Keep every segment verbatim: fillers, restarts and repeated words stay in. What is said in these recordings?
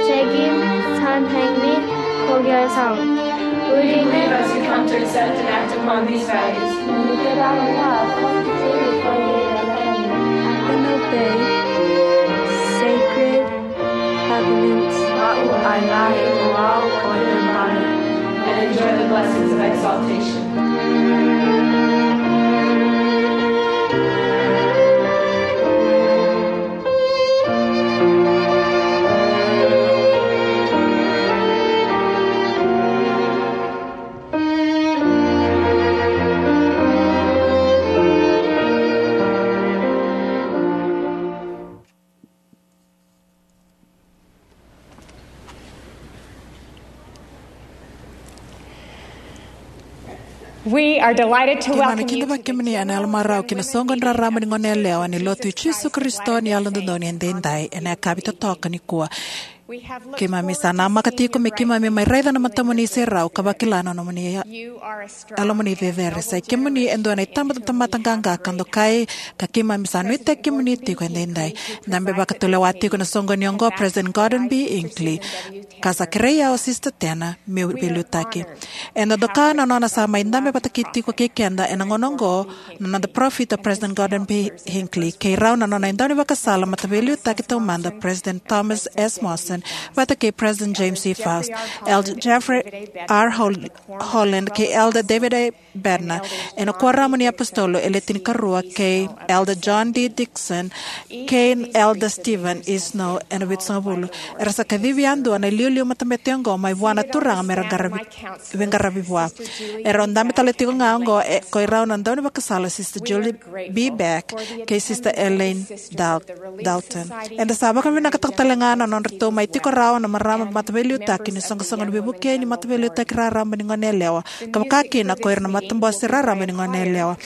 Shagin, San Hangmi, Kogya Sound. Would you leave as you come to accept and act upon these values? And obey sacred covenants. And enjoy the blessings of exaltation. We are delighted to welcome you to the Keimami na kidavaki kemuni ena yalomarau ki na soqoni raraba ni goneyalewa ni Lotu i Jisu Karisito ni Yalododonu Edaidai ena yakavi totoka nikua. Keimami sa namaka tiko me keimami mai raica na matamuni serau ka vakila na nomuni yalomuni cecere. Sa i kemuni e dua na itabatamata qaqa ka dokai, ka keimami sa nuitaki kemuni tiko edaidai. Dabe vakatulewa tiko na soqoni oqo President Gordon B Hinckley, ka sa kerei au o Sister Tanner meu veiliutaki. Eda doka na nona sa mai dabe vata kei tiko kei keda ena gauna oqo na noda parofita President Gordon B Hinckley, kei rau na nona daunivakasala mataveiliutaki taumada President Thomas S Monson vata kei President James C Faust, Elder Jeffrey R Hol- Holland kei Elder David A Bednar, ena Kuoramu ni iApositolo e Le Tinikarua, kei Elder John D Dixon kei Elder Stephen E Snow ena Vitusagavulu. Era sa kacivi yadua na iliuliu matabete oqo mai vua na Turaga mera qaravi, veiqaravi vua. Erau dabe tale tiko ga oqo e, ko irau na daunivakasala Sister Julie B Beck kei Sister Elaine Dal- Dalton. Eda sa vakavinavinakataka tale ga na nodratou mai tiko rawa na marama mataveiliutaki ni soqosoqo ni veivuke ni mataveiliutaki raraba ni goneyalewa, ka vaka kina ko ira na matabose raraba ni goneyalewa.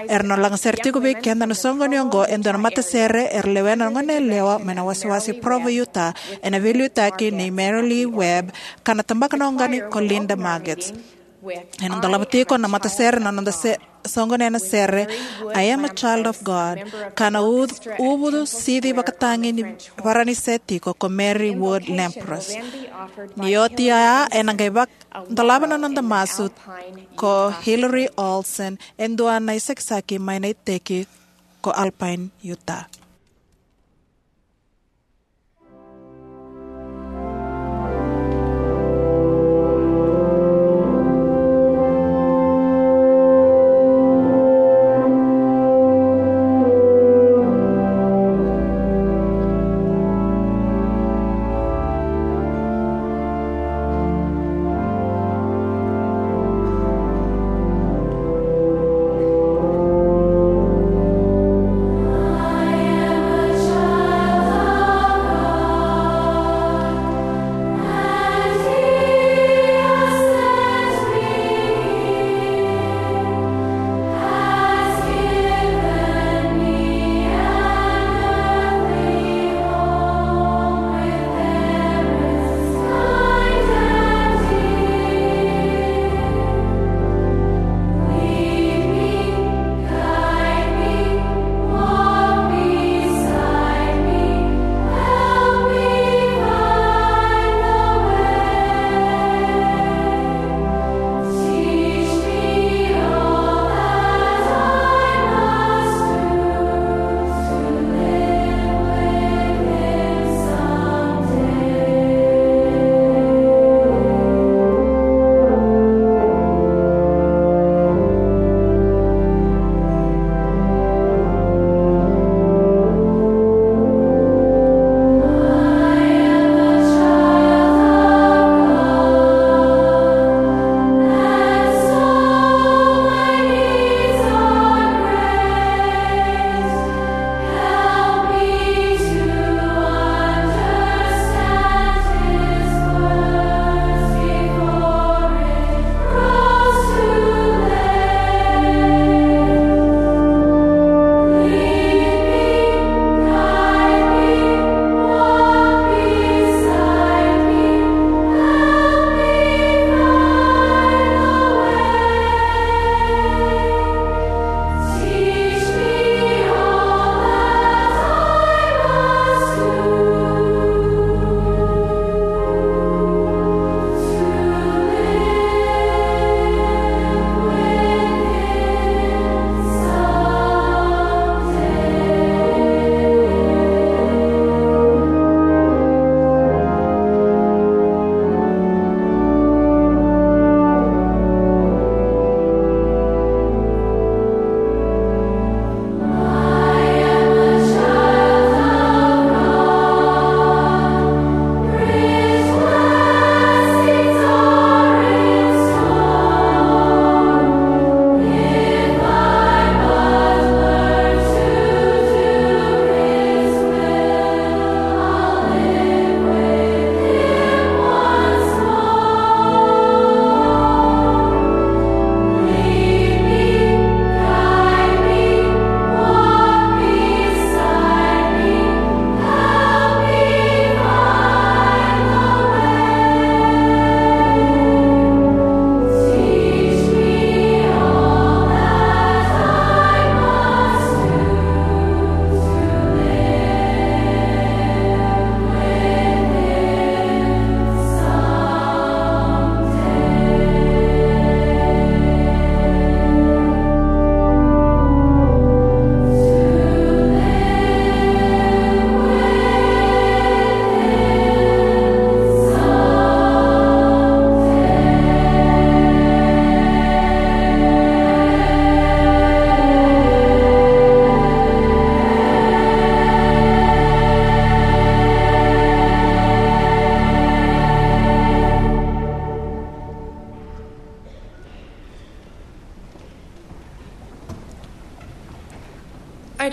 Era na lagasere tiko vei keda na soqoni oqo e dua na matasere era lewena na goneyalewa mai na wasewase Provo, Utah, ena veiliutaki nei Mary Lee Webb, ka na tabaka na oqani ko Linda Maggots. Ena dolava tiko na matasere na noda se- soqoni ena sere I Am a Child of God, ka na u- uvu sici vakatagi ni Varanise tiko ko Mary Wood Lamprose. Ni oti oya ena qai vak- dolava na noda masu ko Hillary Olsen, e dua na isakisaki mai na iteki ko Alpine, Utah.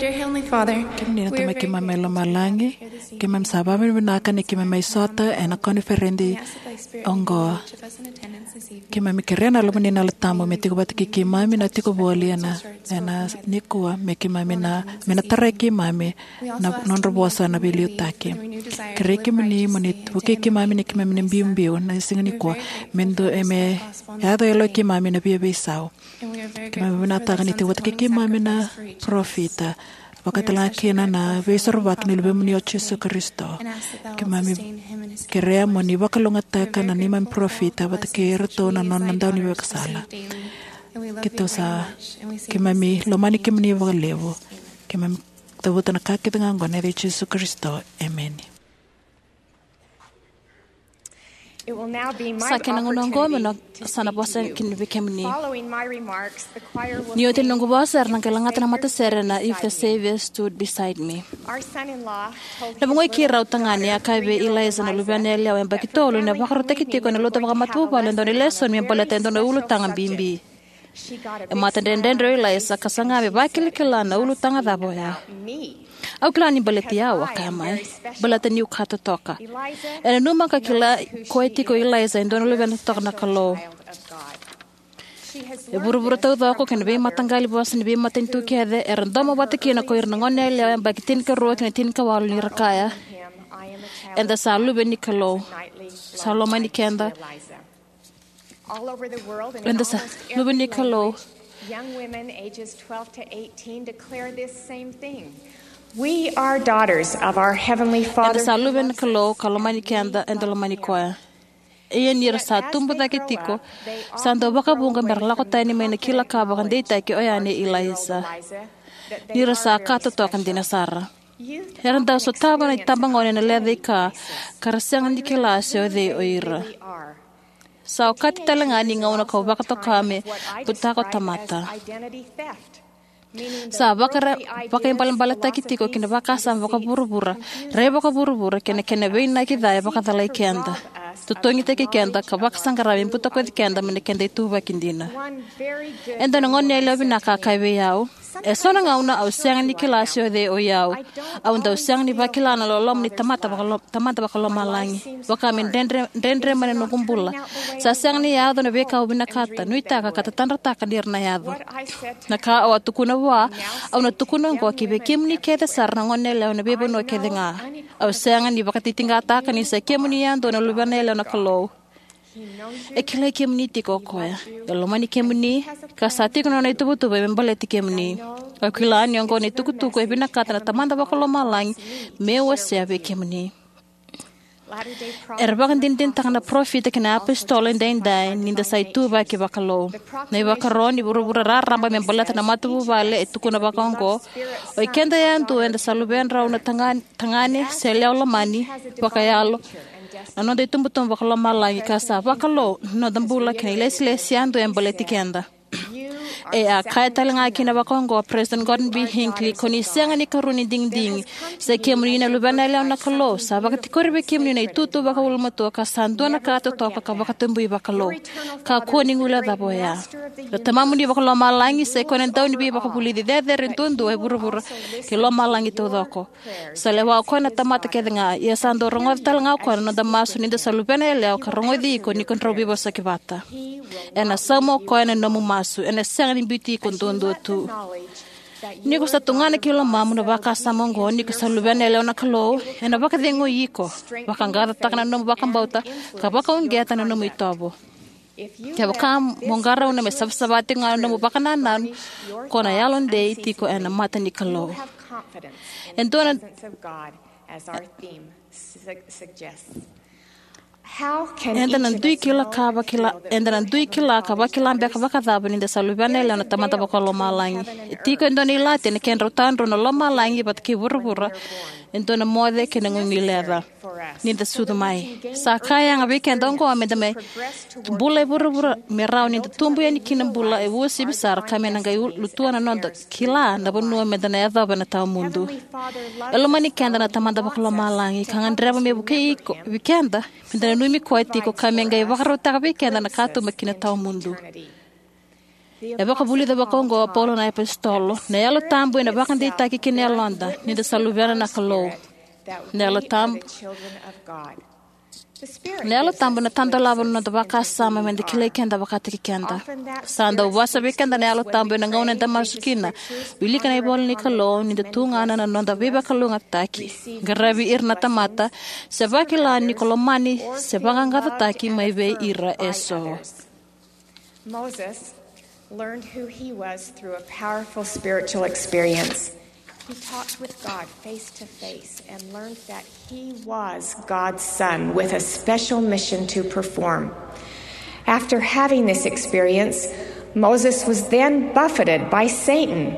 Dear Heavenly Father, kemuni na Tamai keimami mai lomalagi, keimami sa vakavinavinaka ni keimami mai sota ena koniferedi oqo. Keimami kerea na Yalomuni na Yalo Tabu me tiko vata kei keimami na tiko voli ena, ena nikua, me keimami na, me na tarai keimami na nodra vosa na veiliutaki. Kerei kemuni mo ni vukei keimami ni keimami na biubiu na siga nikua, me du-, e me yaco e yaloi keimami na via veisau. Keimami vinakataka ni tiko vata kei keimami na parofita, vaka talega kina na veisorovaki ni Luvemuni o Jisu Karisito. Keimami kerea mo ni vakalougatataka na neimami parofita vata kei iratou na nona dau ni vakasala. Keitou sa, keimami lomani kemuni vakalevu. Keimami cavuta na ka kece ga oqo ena yaca i Jisu Karisito. Emeni. Sa kena gauna oqo meu na, sa na vosa kina vei kemuni. Ni oti na noqu vosa, era na qai lagata na matasere na If the Savior Stood Beside Me. Na vugoi keirau tagane a kaya vei Eliza, na luvena yalewa yabaki tolu, ni a vakarautaki tiko ena lotu vakamatavuvale e dua na lesoni me baleta e dua na ulutaga bibi. E matadredredre o Eliza ka saga me vakilakila na ulutaga cava oya. Au kila ni baleti au, a kaya mai, baleta niu ka totoka. E nanuma ka kila koya tiko o Eliza e dua na luvena totoka na Kalou. E vuravura taucoko kei na veimataqali vosa ni veimatanitu kece era domo vata kina ko ira na gone yalewa yabaki tinikarua kei na tinikawalu ni ra kaya, eda sa luve ni Kalou. Sa lomani keda. Eda sa luve ni Kalou. Young women ages twelve to eighteen declare this same thing. We are daughters of our Heavenly Father. Eda sa luve ni Kalou ka lomani keda, eda lomani koya. Ia ni ra sa tubu cake tiko, sa dau vakavuqa me ra lako tani mai na kila ka vakadeitaki oya nei Eliza. Ni ra sa ka totoka dina sara. Era dau sotava na itabagone na lecaika, ka ra sega ni kila se o cei o ira. Sa okati tale ga ni gauna kau vakatoka me butako tamata. Sa vakara-, vakaibalebaletaki tiko ki na vakasama vakavuravura, rai vakavuravura, kei na kena veinaki ca e vakacalai keda, totogitaki keda, ka vakasaqara me butakoci keda mai na keda ituvaki dina. E dua na gone yalewa vinaka a kaya vei au, e so na gauna au sega ni kila se o cei o i au. Au dau sega ni vakila na loloma ni tamata vakalo-, Tamada vakalomalagi. Vaka me dredre, dredre mai na noqu bula. Sa sega ni yaco na veika au vinakata, nuitaka ka tatadrataka ni ra na yaco. Na ka au a tukuna vua, au na tukuna oqo ki vei kemuni kece sara na gone yalewa na veivanua kece ga. Au sega ni vakatitiqataka ni sa kemuni yadua na luvena yalewa na Kalou. E kilai kemuni tiko o koya. E lomani kemuni, ka sa tiko na nona ituvatuva me baleti kemuni. Au kila ni oqo na itukutuku e vinakata na Tamada vakalomalagi meu wasea vei kemuni. Era vakadinadinataka na parofita kei na apositolo edaidai ni da sa ituvaki vakalou. Na ivakaro ni vuravura raraba me baleta na matavuvale e tukuna vakaoqo: O i keda yadua eda sa luvedrau na taga-, tagane se yalewa lomani vakayalo, na noda itubutubu vakalomalagi, ka sa vakalou na noda bula kei na ilesilesi yadua e baleti keda. E a kaya tale ga kina vakaoqo o President Gordon B. Hinckley: Ko ni sega ni karua ni digidigi. Sa kemuni na luvena yalewa na Kalou. Sa vakatikori vei kemuni na itutu vakaulumatua ka sa dua na ka totoka ka vakatabui vakalou. Kakua ni guileca cava oya. Na Tamamuni vakalomalagi sa i koya na dau ni veivakavulici cecere duadua e vuravura kei lomalagi taucoko. Sa lewa o koya na tamata kece ga, ia sa dau rogoca tale ga o koya na noda masu ni da sa luvena yalewa ka rogoci iko ni ko drau veivosaki vata. Ena sauma o koya na nomu masu, ena sega ni biuti iko duadua tu. Ni ko sa tugana ki lomamu na vakasama oqo ni ko sa luvena yalewa na Kalou, ena vakacegui iko, vaqaqacotaka na nomu vakabauta, ka vakauqeta na nomu itovo. Kevaka mo qarauna me savasava tiko ga na nomu vakanananu, ko na yalodei tiko ena mata ni Kalou. E dua na Eda na dui kila ka vakila, eda na dui kila ka vakila beka vakacava ni da sa luvena yalewa na Tamada vakalomalagi. E tiko e dua na ilati ena kedrau tadrua na lomalagi vata kei vuravura, e dua na moce kei na guiguileca ni da sucu mai. Sa ka yaga vei keda oqo me da mai bula e vuravura me rawa ni da tubu yani kina bula e uasivi sara ka me na qai u-, lutua na noda kila na vanua me da na yacova ena tawamudu. E lomani keda na Tamada vakalomalagi ka gadreva me vukei iko, vei keda, me da nanumi koya tiko ka me qai vakarautaka vei keda na katuba ki na tawamudu. E vakavulica vakaoqo o Paula na apositolo: "Na Yalo Tabu ena vakadeitaki ki na yaloda ni da sa luvena na Kalou." Na Yalo Tabu, na Yalo Tabu ena tadolava na noda vakasama me da kilai keda vakataki keda. Sa dau vosa vei keda na Yalo Tabu ena gauna eda masu kina, wilika na ivola ni Kalou, ni da tugana na noda veivakalougatataki, qaravi ira na tamata, se vakila ni ko lomani se vaqaqacotaki mai vei ira eso. Moses learned who he was through a powerful spiritual experience. He talked with God face to face and learned that he was God's son with a special mission to perform. After having this experience, Moses was then buffeted by Satan.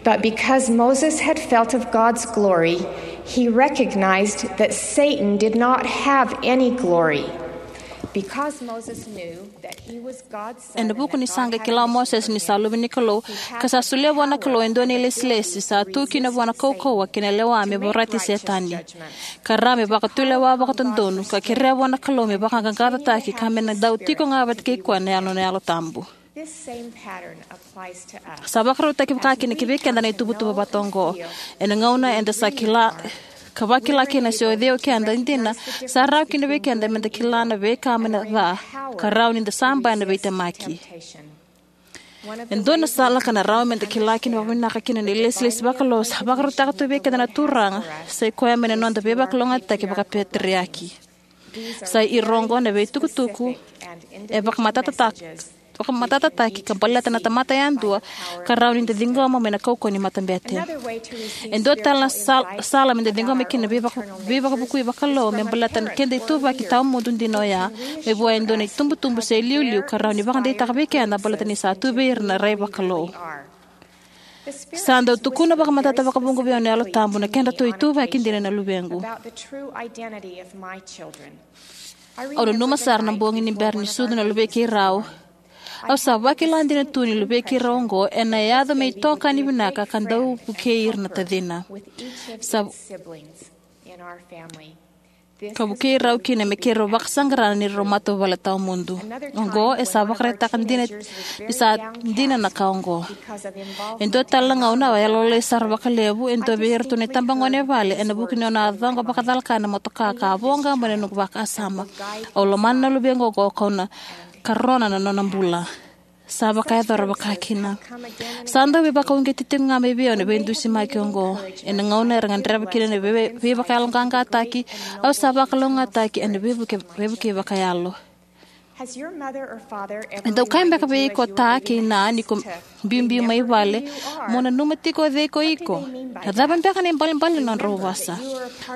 But because Moses had felt of God's glory, he recognized that Satan did not have any glory. Because Moses knew that he was God's son, ena vuku ni sa qai kila o Mosese ni sa luve ni Kalou, ka sa solia vua na Kalou e dua na ilesilesi sa tu kina vua na kaukauwa kei na lewa me vorati Setani, ka rawa me vakatulewa vakadodonu, ka kerea vua na Kalou me vaqaqacotaki, ka me na dau tiko ga vata kei koya na Yalo, na Yalo Tabu. This same pattern applies to us. Sa vakarautaki vakakina ki vei keda na ituvatuva vata oqo. Ena gauna eda sa kila, ka vakila kina se o cei o keda dina, sa rawa kina vei keda me da kila na veika mai na ca, ka rawa ni da saba ena veitemaki. E dua na sala ka na rawa me da kila kina vakavinaka kina na ilesilesi vakalou sa vakarautaka tu vei keda na Turaga, sa i koya mai na noda veivakalougatataki vakapeteriaki. Sa i ira oqo na veitukutuku e vakamatatataki, vakamatatataki ka baleta na tamata yadua, ka rawa ni da ciqoma mai na kaukauwa ni matabete. E dua tale na sal-, sala me da ciqoma kina na veivaka-, veivakavukui vakalou me baleta na keda ituvaki tawamudu dina oya, me vua e dua na itubutubu se iliuliu ka rawa ni vakadeitaka vei keda baleta ni sa tu vei ira na rai vakalou. Sa dau tukuna vakamatata vakavuqa vei au na Yalo Tabu na kedratou ituvaki dina na luvequ. Au nanuma sara na bogi ni bera ni sucu na luvei keirau. Au sa vakila dina tu ni luvei keirau oqo ena yaco me itokani vinaka ka dau vukei ira na tacina. Sa ka vukei rau kina me keirau vakasaqara na neirau matavuvale tawamudu. Oqo e sa vakaraitaka dina ni sa dina na ka oqo. E dua tale na gauna au a yalolailai sara vakalevu e dua vei iratou na itabagone e vale ena vuku ni nona a coqa vakacalaka na motoka ka a voqa mai na noqu vakasama. Au lomana na luvequ oqo kau na karona na nona bula. Sa vakayacora vakakina. Sa dau veivakauqeti tiko ga mai vei au na veidusimaki oqo. Ena gauna era gadreva kina na vei-, veivakayaloqaqataki, au sa vakalougatataki ena veivuke-, veivukei vakayalo. E dau kaya beka vei iko ta kei na ni ko biubiu mai vale, mo nanuma tiko o cei ko iko. Na cava beka na ibalebale ni nodrau vosa?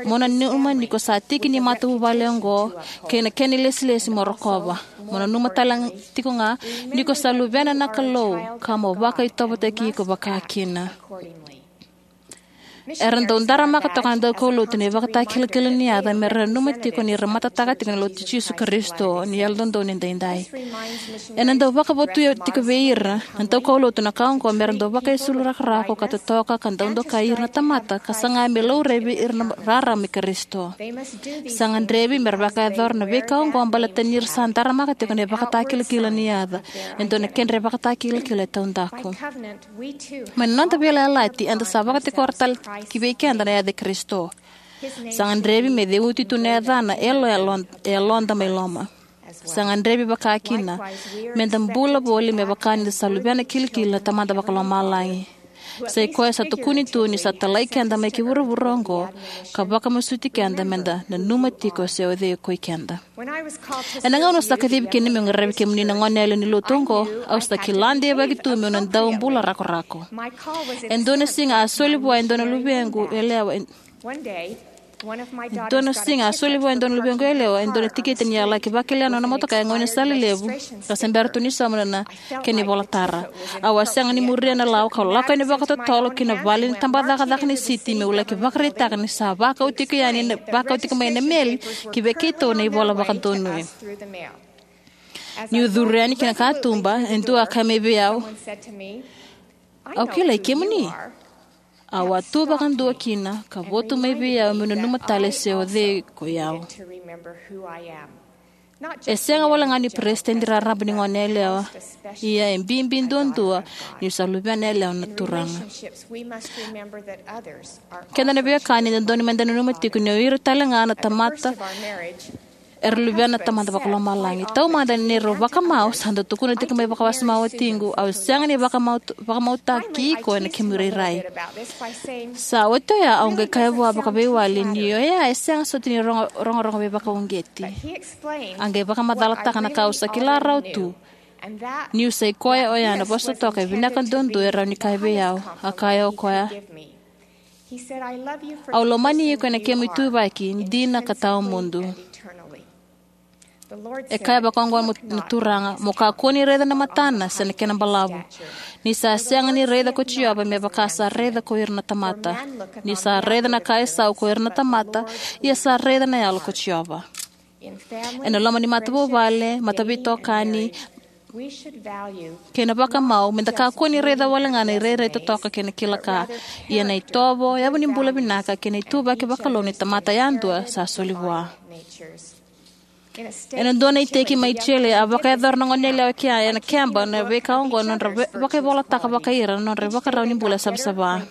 Mo nanuma ni ko sa tiki ni matavuvale oqo, kei na kena ilesilesi mo rokova. Mo nanuma tale tiko ga ni ko sa luvena na Kalou, ka mo vakaitovotaki iko vakakina. Era dau daramaka toka na daukaulotu na ivakatakilakila ni yaca me ra nanuma tiko ni ra matataka tiko na Lotu i Jisu Karisito ni Yalododonu Edaidai. Ena dau vakavotuya tiko vei ira na daukaulotu na ka oqo me ra dau vakaisulu rakorako ka totoka ka dau dokai ira na tamata ka saga me laurai vei ira na rarama i Karisito. Sa gadrevi me ra vakayacora na veika oqo baleta ni ra sa daramaka tiko na ivakatakilakila ni yaca, e dua na kedra ivakatakilakila e taudaku. Mai na noda veiyalayalati, eda sa vakatikora tale ki vei keda na yaca i Karisito. Sa gadrevi me ceuti tu na yacana e yalo, yalo, yaloda mai loma. Sa gadrevi vakakina me da bula voli me vaka ni da sa luvena kilikili na Tamada Vakalomalagi. Sa i koya sa tukuni tu ni sa talai keda mai ki vuravura oqo, ka vakamasuti keda me da nanuma tiko se o cei ko i keda. Ena gauna au sa kacivi kina meu qaravi kemuni na goneyalewa ni lotu oqo, au sa kila deivaki tu meu na dau bula rakorako. E dua na siga a soli vua e dua na luvequ yalewa, e dua na siga a soli vua e dua na luvequ yalewa e dua na tikite ni a laki vakila na nona motoka e gauna ni sala levu, ka se bera tu ni sauma na kena ivolatara. Au a sega ni muria na lawa, kau lako yani vakatotolo ki na vale ni tabacakacaka ni siti meu laki vakaraitaka ni sa vakau tiko yani na, vakau tiko mai na meli ki vei keitou na ivola vakadonui. Niu curu yani ki na katuba, e dua a kaya mai vei au, "Au kilai kemuni." Au a tu vakadua kina ka votu mai vei au meu nanuma tale se o cei ko i au. E sega walega ni peresitedi raraba ni gone yalewa, ia e bibi duadua niu sa luvena yalewa na Turaga. Keda na veiwekani, e dodonu meda nanuma tiko ni o ira talega na tamata era luvena na Tamada Vakalomalagi. Taumada ni neirau vakamau, sa dau tukuna tiko mai vakawasoma o watiqu, au sega ni vakamau, vakamautaki iko ena kemu irairai. Sa oti oya au qai kaya vua vakaveiwali ni oya e sega soti ni rogo, rogorogo veivakauqeti. A qai vakamacalataka na ka au sa kila rawa tu, niu sa i koya oya na vosa toka e vinaka duadua e rawa ni kaya vei au. A kaya o koya, au lomani iko ena kemu ituvaki dina ka tawamudu. E kaya vakaoqo mo, na Turaga, mo kakua ni raica na matana se na kena balavu, ni sa sega ni raica ko Jiova me vaka sa raica ko ira na tamata. Ni sa raica na ka e sau ko ira na tamata, ia sa raica na yalo ko Jiova. Ena loma ni matavuvale, mataveitokani, kei na vakamau, meda kakua ni raica walega na irairai totoka kei na kila ka, ia na itovo, yavu ni bula vinaka kei na ituvaki vakalou ni tamata yadua sa soli vua. Ena dua na iteki mai Chile, a vakayacora na goneyalewa e kea ena keba na veika oqo na nodra ve-, vakaivolataka vakai ira na nodra ivakarau ni bula savasava.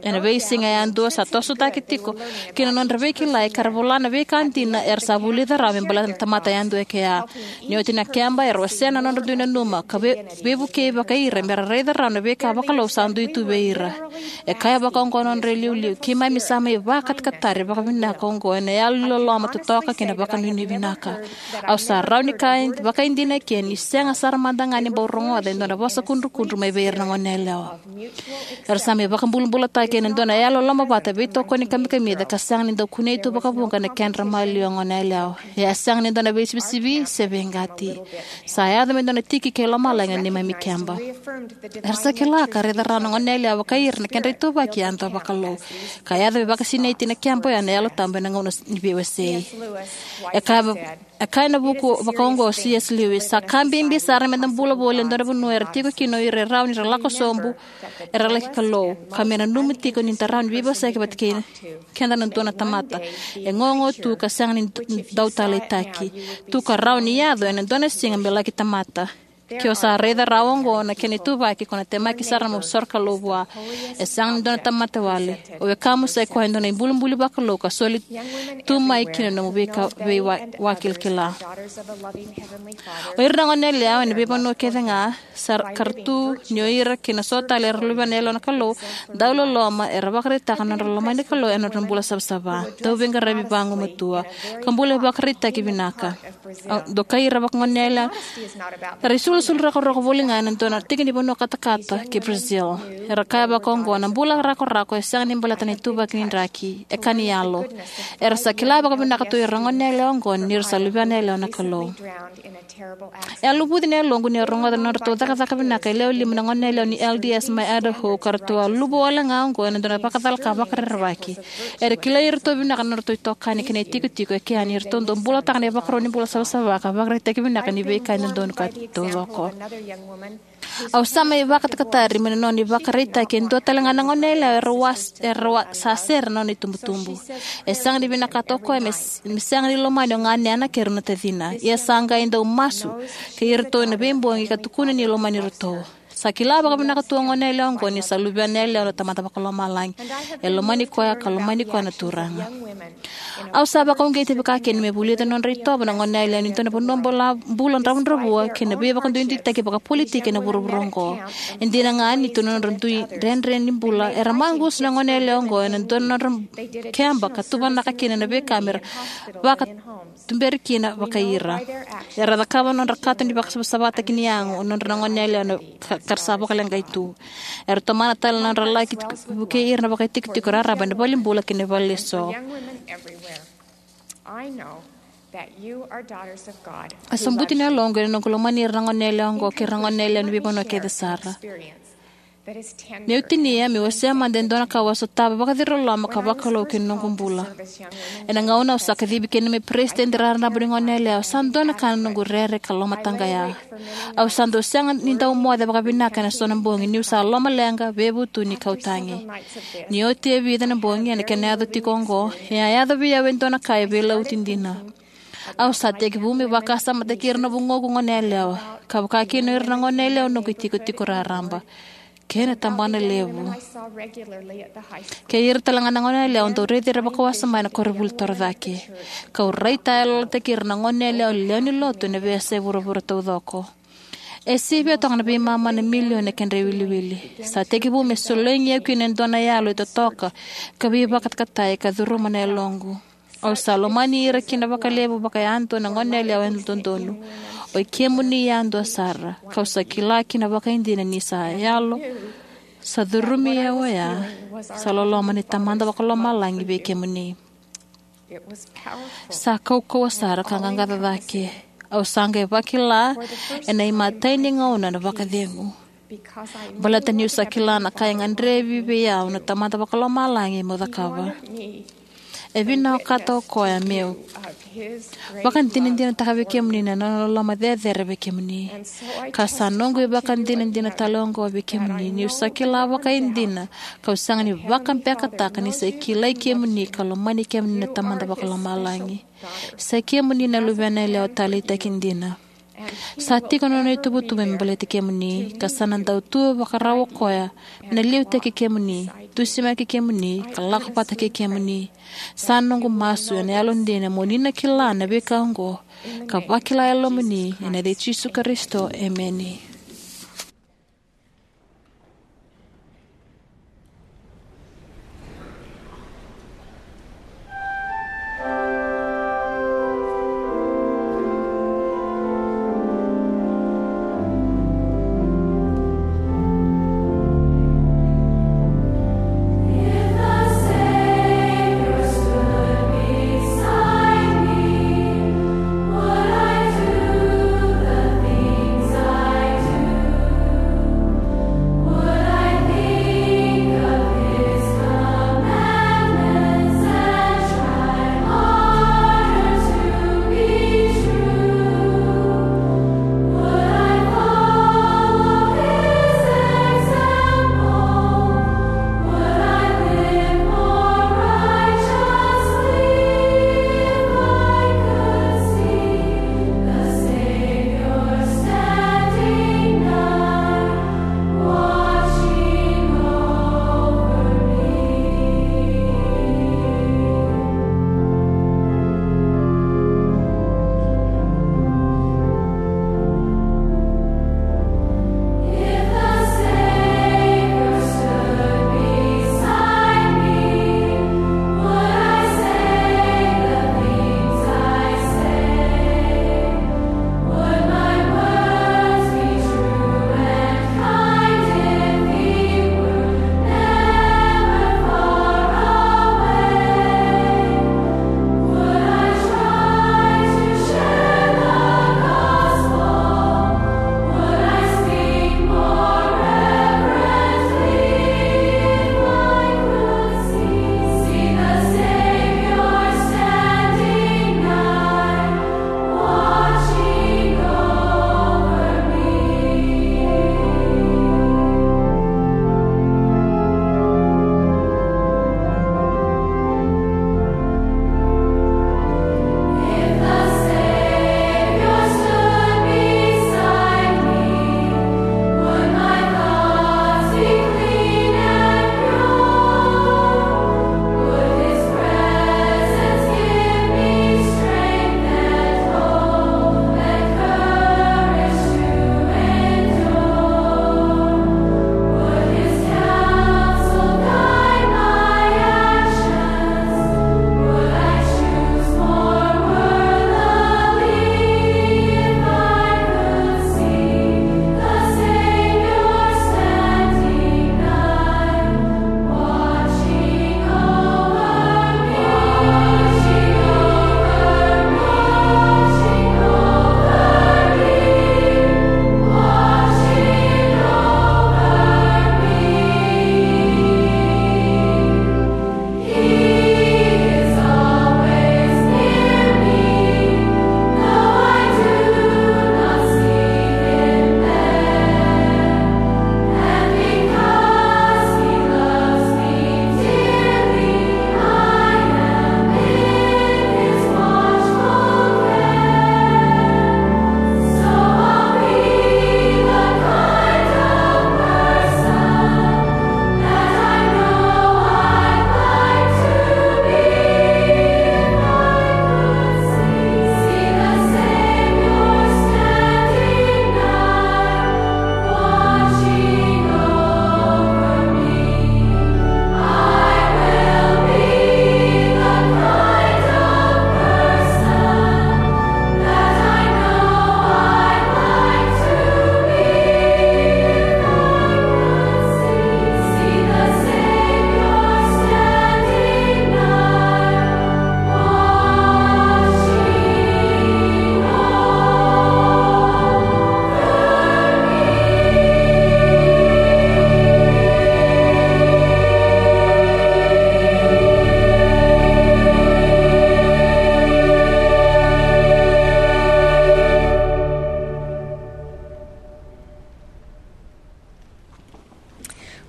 Ena veisiga yadua sa tosotaki tiko kina na nodra veikilai ka ra vola na veika dina era sa vulica rawa me baleta na tamata yadua e kea. Ni oti na keba, era wasea na nodra dui nanuma ka vei-, veivukei vakai ira me ra raica rawa na veika vakalou sa dui tu vei ira. E kaya vakaoqo na nodra iliuliu, keimami sa mai vakatakatari vakavinaka oqo ena yalo ni loloma totoka kei na vakanuinui vinaka. Au sa rawa ni kaya vakaidina eke ni sega sara mada ga ni bau rogoca e dua na vosa kudrukudru mai vei ira na goneyalewa. Era sa mai vakabulabulataki ena dua na yalo lomavata veitokoni kamikamica ka sega ni dau kunei tu vakavuqa na kedra maliwa goneyalewa. E a sega ni dua na veisivisivi se veiqati. Sa yaco me dua na tiki kei lomalagi na neimami keba. Era sa kila ka raica rawa na goneyalewa vakai ira na kedra ituvaki yadua vakalou. Ka yaco me vakasinaiti na keba oya na Yalo Tabu ena gauna ni veiwasei. E kaya va-, e kaya ena vuku vakaoqo o C S Lewis, sa ka bibi sara meda bula voli e dua na vanua era tiko kina o ira e rawa ni ra lako sobu, era laki Kalou, ka me nanuma tiko ni da rawa ni veivosaki vata kei keda na dua na tamata e gogo tu ka sega ni d-, dau taleitaki. Tu ka rawa ni yaco ena dua na siga me laki tamata. Ke o sa raica rawa oqo na kena ituvaki, ko na temaki sara mo soro Kalou vua. E sega ni dua na tamata wale. O wekamu sa i koya e dua na ibulibuli vakalou ka soli tu mai kina na nomu veika-, veiwa-, wakilakila. O ira na goneyalewa ena veivanua kece ga, sa ra-, ka ra tu ni o ira kei na so tale era luvena yalewa na Kalou, dau loloma, era vakaraitaka na nodra lomani Kalou ena nodra bula savasava. Dau veiqaravi vagumatua ka bula ivakaraitaki vinaka. A, dokai ira vakagoneyalewa era isulusulu rakorako voli ga ena dua na tiki ni vanua katakata ki Brazil. Era kaya vakaoqo, na bula rakorako e sega ni baleta na ituvaki ni draki, e ka ni yalo. Era sa kila vakavinaka tu ira na goneyalewa oqo ni ra sa luvena yalewa na Kalou. E a luvuci na yaloqu niu rogoca na nodratou cakacaka vinaka e lewe lima na goneyalewa ni L D S mai Idaho, ka ratou a luvu wale ga oqo ena dua na vakacala ka vakarerevaki. Era kilai iratou vinaka na nodratou itokani kei na itikotiko e kea ni ratou dau bulataka na ivakarau ni bula savasava ka vakaraitaki vinaka ni veika e dodonu ka taucoko. Au sa mai vakatakatari mai na nona ivakaraitaki e dua tale ga na goneyalewa era was-, era wa-, sa sere na nona itubutubu. E sega ni vinakata o koya me s-, me sega ni lomani o ganena kei rau na tacina. Ia sa qai dau masu kei iratou ena veibogi ka tukuna ni lomani iratou. Sa kila vakavinaka tu o goneyalewa oqo ni sa luvena yalewa na Tamada Vakalomalagi. E lomani koya ka lomani koya na Turaga. Au sa vakauqeti vakakina me vulica na nodra itovo na goneyalewa ni dua na vanua bula, bula dravudravua kei na veivakaduiduitaki vakapolitiki ena vuravura oqo. E dina ga ni tu na nodra dui dredre ni bula, era maqusa na goneyalewa oqo ena dua na nodra keba ka tuvanaka kina na veika me ra vakatuberi kina vakai ira. Era cakava na nodra kato ni vakasavasavataki ni yago o nodra na goneyalewa na ka, ka ra sa vakaleqai tu. Era tomana tale na nodra laki vukei ira na vakaitikotiko raraba ena valenibula kei na vale eso. A sobuti na yaloqu ena noqu lomani ira na goneyalewa oqo kei ira na goneyalewa ni veivanua kece sara. Meu tinia, meu wasea mada e dua na ka au a sotava vakaciriloloma ka vakalou kina noqu bula. Ena gauna au sa kacivi kina meu peresitedi raraba ni goneyalewa, sa dua na ka na noqu rere ka lomataqaya. Au sa dau sega ni dau moce vakavinaka ena so na bogi niu sa lomaleqa, veivutuni kau tagi. Ni oti e vica na bogi ena kena yaco tiko oqo, e a yaco vei au e dua na ka e veilauti dina. Au sa tekivu me vakasamataki ira na vugoqu gone yalewa, ka vaka kina o ira na gone yalewa noqu itikotiko raraba kei na tabana levu. Kei ira talega na gone yalewa au dau raici ira vakawasoma ena koronivuli torocake, kau raitayaloyalotaki ira na gone yalewa lewe ni lotu ena veiyasai vuravura taucoko. E sivia toka na veimama na milioni na kedra iwiliwili. Sa tekivu me sologi au kina e dua na yalo e totoka ka veivakatakatai ka curuma na yaloqu. Au sa lomani ira kina vakalevu vakayadua na gone yalewa yalododonu. O i kemuni yadua sara, kau sa kila kina vakaidina ni sa yalo sa curumi au oya, sa loloma ni Tamada Vakalomalagi vei kemuni. Sa kaukauwa sara ka qaqaco cake. Au sa qai vakila ena imatai ni gauna na vakacegu, baleta niu sa kila na ka e gadrevi vei au na Tamada Vakalomalagi meu cakava. E vinakata o koya meu vakadinadinataka vei kemuni na nona loloma cecere vei kemuni. Ka sa noqu ivakadinadina tale oqo vei kemuni, niu sa kila vakaidina kau sega ni vakabekataka ni sa kilai kemuni ka lomani kemuni na Tamada Vakalomalagi. Sa i kemuni na luvena yalewa taleitaki dina. Sa tiko na nona ituvatuva me baleti kemuni, ka sa na dau tu vakarau o koya me na liutaki kemuni, dusimaki kemuni, ka lako vata kei kemuni. Sa noqu masu ena yalodina mo ni na kila na veika oqo ka vakila e lomamuni, ena yaca i Jisu Karisito, emeni.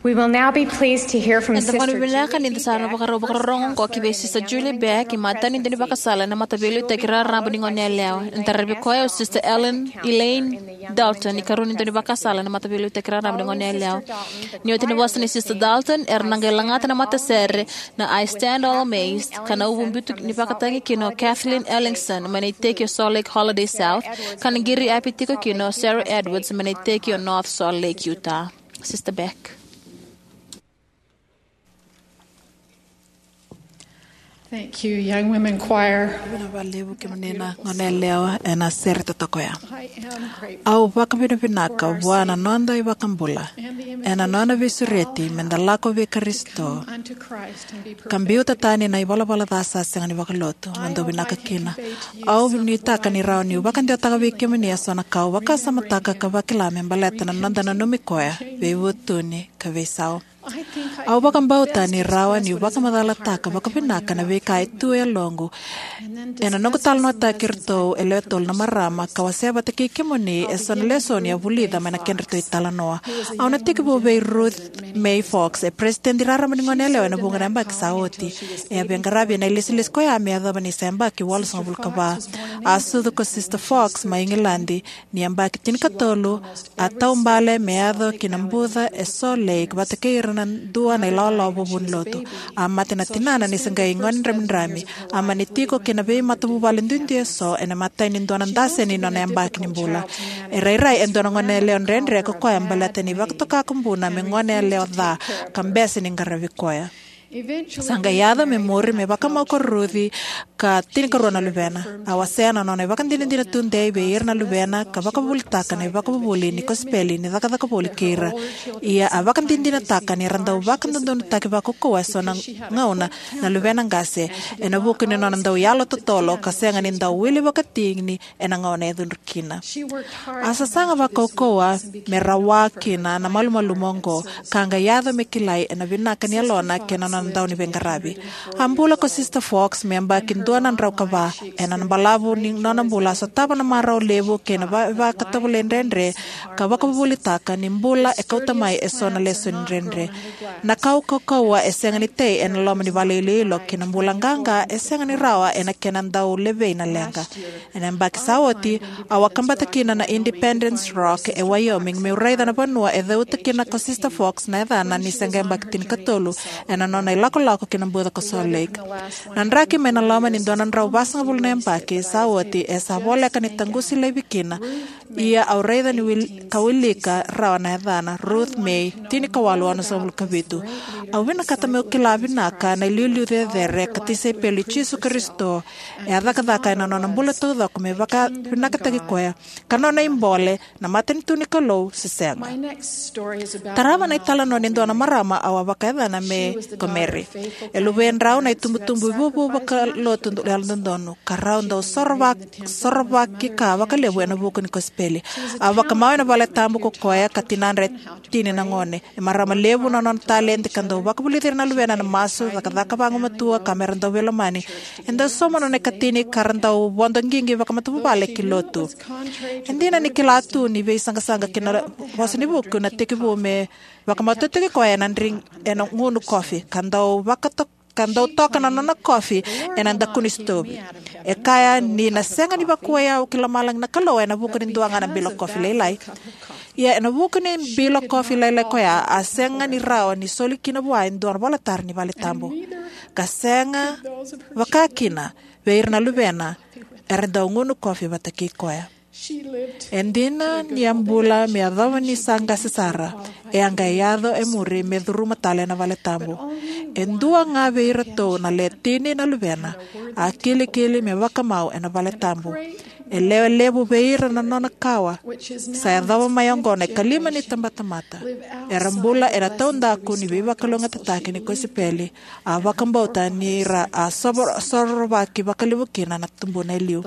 We will now be pleased to hear from Eda Sister vakanuinui vinaka Julie ni da sa na B. Beck. Vakarau vakarorogo oqo ki vei Sister Julie Beck, imatai ni daunivakasala ena Mataveiliutaki Raraba ni Goneyalewa. Ena taravi koya o Sister Ellen Elaine Dalton, ikarua ni daunivakasala ena Mataveiliutaki Raraba ni Goneyalewa. Ni oti na vosa nei Sister Dalton, era na qai lagata na matasere na I Stand All Amazed, ka na uvu biuta ni vakatagi kina o Kathleen Ellingson mai na iteki o Salt Lake Holiday South, ka na qiri api tiko kina o Sarah Edwards mai na iteki o North Salt Lake, Utah. Sister Beck. Thank you, young women choir. Vinaka vakalevu kemuni na goneyalewa ena sere totoka ya. I am grateful Au vakavinavinaka for our vua na Savior noda iVakabula and the ena nona veisureti me da lako vei Karisito unto Christ and be ka perfect. Biuta tani na ivalavala ca sa sega ni vakalotu. Mo dou vinaka kina. Au nuitaka ni rawa niu vakadewataka vei kemuni eso na ka au vakasamataka ka vakila me baleta na noda nanumi koya, veivutuni ka veisau. Au vakabauta ni rawa niu vakamacalataka vakavinaka na veika e tu e yaloqu ena noqu talanoataki iratou e lewe tolu na marama ka wasea vata kei kemuni eso na lesoni a vulica mai na kedratou italanoa. Au na tekivu vei Ruth May Fox, e peresitedi raraba ni goneyalewa ena vuqa na yabaki sa oti. E a veiqaravi ena ilesilesi koya me yacova ni sa yabaki walusagavulu ka va. A sucu ko Sister Fox mai Igiladi ni yabaki tinikatolu, a taubale me yaco ki na buca e Salt Lake vata kei ira na dua na ilawalawa vuvunilotu. A mate na tinana ni se qai gone dramidrami. A mani tiko kei na veimatavuvale duidui eso ena imatai ni dua na dase ni nona yabaki ni bula. E rairai e dua na goneyalewa dredre ko koya baleta ni vakatoka ko buna me goneyalewa ca ka bese ni qaravi koya. Sa qai yaco me muri me vakamau ko Ruth ka tinikarua na luvena. A wasea na nona ivakadinadina tudei vei ira na luvena ka vakavuvulitaka na ivakavuvuli ni kosipeli ni cakacaka voli kei ira. Ia a vakadinadinataka ni ra dau vakadodonutaki vakaukauwa eso na gauna na luvena qase ena vuku ni nona dau yalo totolo ka sega ni dau wili vakatini ena gauna e cudru kina. A sasaga vakaukauwa me rawa kina na malumalumu oqo, ka qai yaco me kilai ena vinaka ni yalona kei na nona dauniveiqaravi. A bula ko Sister Fox me yabaki dua na drau ka va. Ena balavu ni nona bula a sotava na marau levu kei na va- vakatovolei dredre ka vakavuvulitaka ni bula e kauta mai eso na lesoni dredre. Na kaukauwa e sega ni tei ena loma ni vale iloilo kei na bula qaqa e sega ni rawa ena kena dau levei na leqa. Ena yabaki sa oti, au a kabata kina na Independence Rock e Wyoming meu raica na vanua e ceuta kina ko Sister Fox na yacana ni se qai yabaki tinikatolu ena nona ilakolako ki na buca ko Salt Lake. Na draki mai na loma ni dua na drau vasagavulu na yabaki sa oti e sa voleka ni taqusi laivi kina. Ia au raica ni wil- ka wilika rawa na yacana Ruth May tinikawalu onosagavulu ka vitu. Au vinakata meu kila vinaka na iliuliu cecere ka tisaipeli Jisu Karisito e a cakacaka ena nona bula taucoko me vakavinakataki koya ka nona ibole na matanitu ni Kalou se sega. Tarava na italanoa ni dua na marama au a vakayacana me ko Mary. E luvedrau na itubutubu ivuvu vakalotu yalododonu ka rau dau sorova- sorovaki ka vakalevu ena vuku ni kosipeli. A vakamau ena vale tabu ko koya ka tinadra e tini na gone. E marama levu na nona taledi ka dau vakavulici ira na luvena ena masu, cakacaka vagumatua ka mera dau veilomani. E dau sauma nona ikatini ka ra dau vodo qiqi vakamatavuvale ki lotu. E dina ni kila tu ni veisaqasaqa kei na vosa ni vuku na tekivu me vakamatautaki koya ena drink ena gunu kofi ka dau vakato- ka dau toka na nona kofi ena dakuni sitovi. E kaya ni na sega ni vakuwai au ki lomalagi na Kalou ena vuku ni dua ga na bilo kofi lailai. Ia ena vuku ni bilo kofi lailai koya a sega ni rawa ni soli kina vua e dua na volatara ni vale tabu. Ka sega vakakina vei ira na luvena era dau gunu kofi vata kei koya. E dina ni a bula me yacova ni sa qase sara, e a qai yaco e muri me curuma tale na vale tabu. E dua ga vei iratou na le tini na luvena a kilikili me vakamau ena vale tabu. E lewe levu vei ira na nona kawa sa yacova mai oqo na ikalima ni tabatamata era bula ena taudaku ni veivakalougatataki ni kosipeli. A vakabauta ni ra a sovo- sorovaki vakalevu kina na tubuna e liu.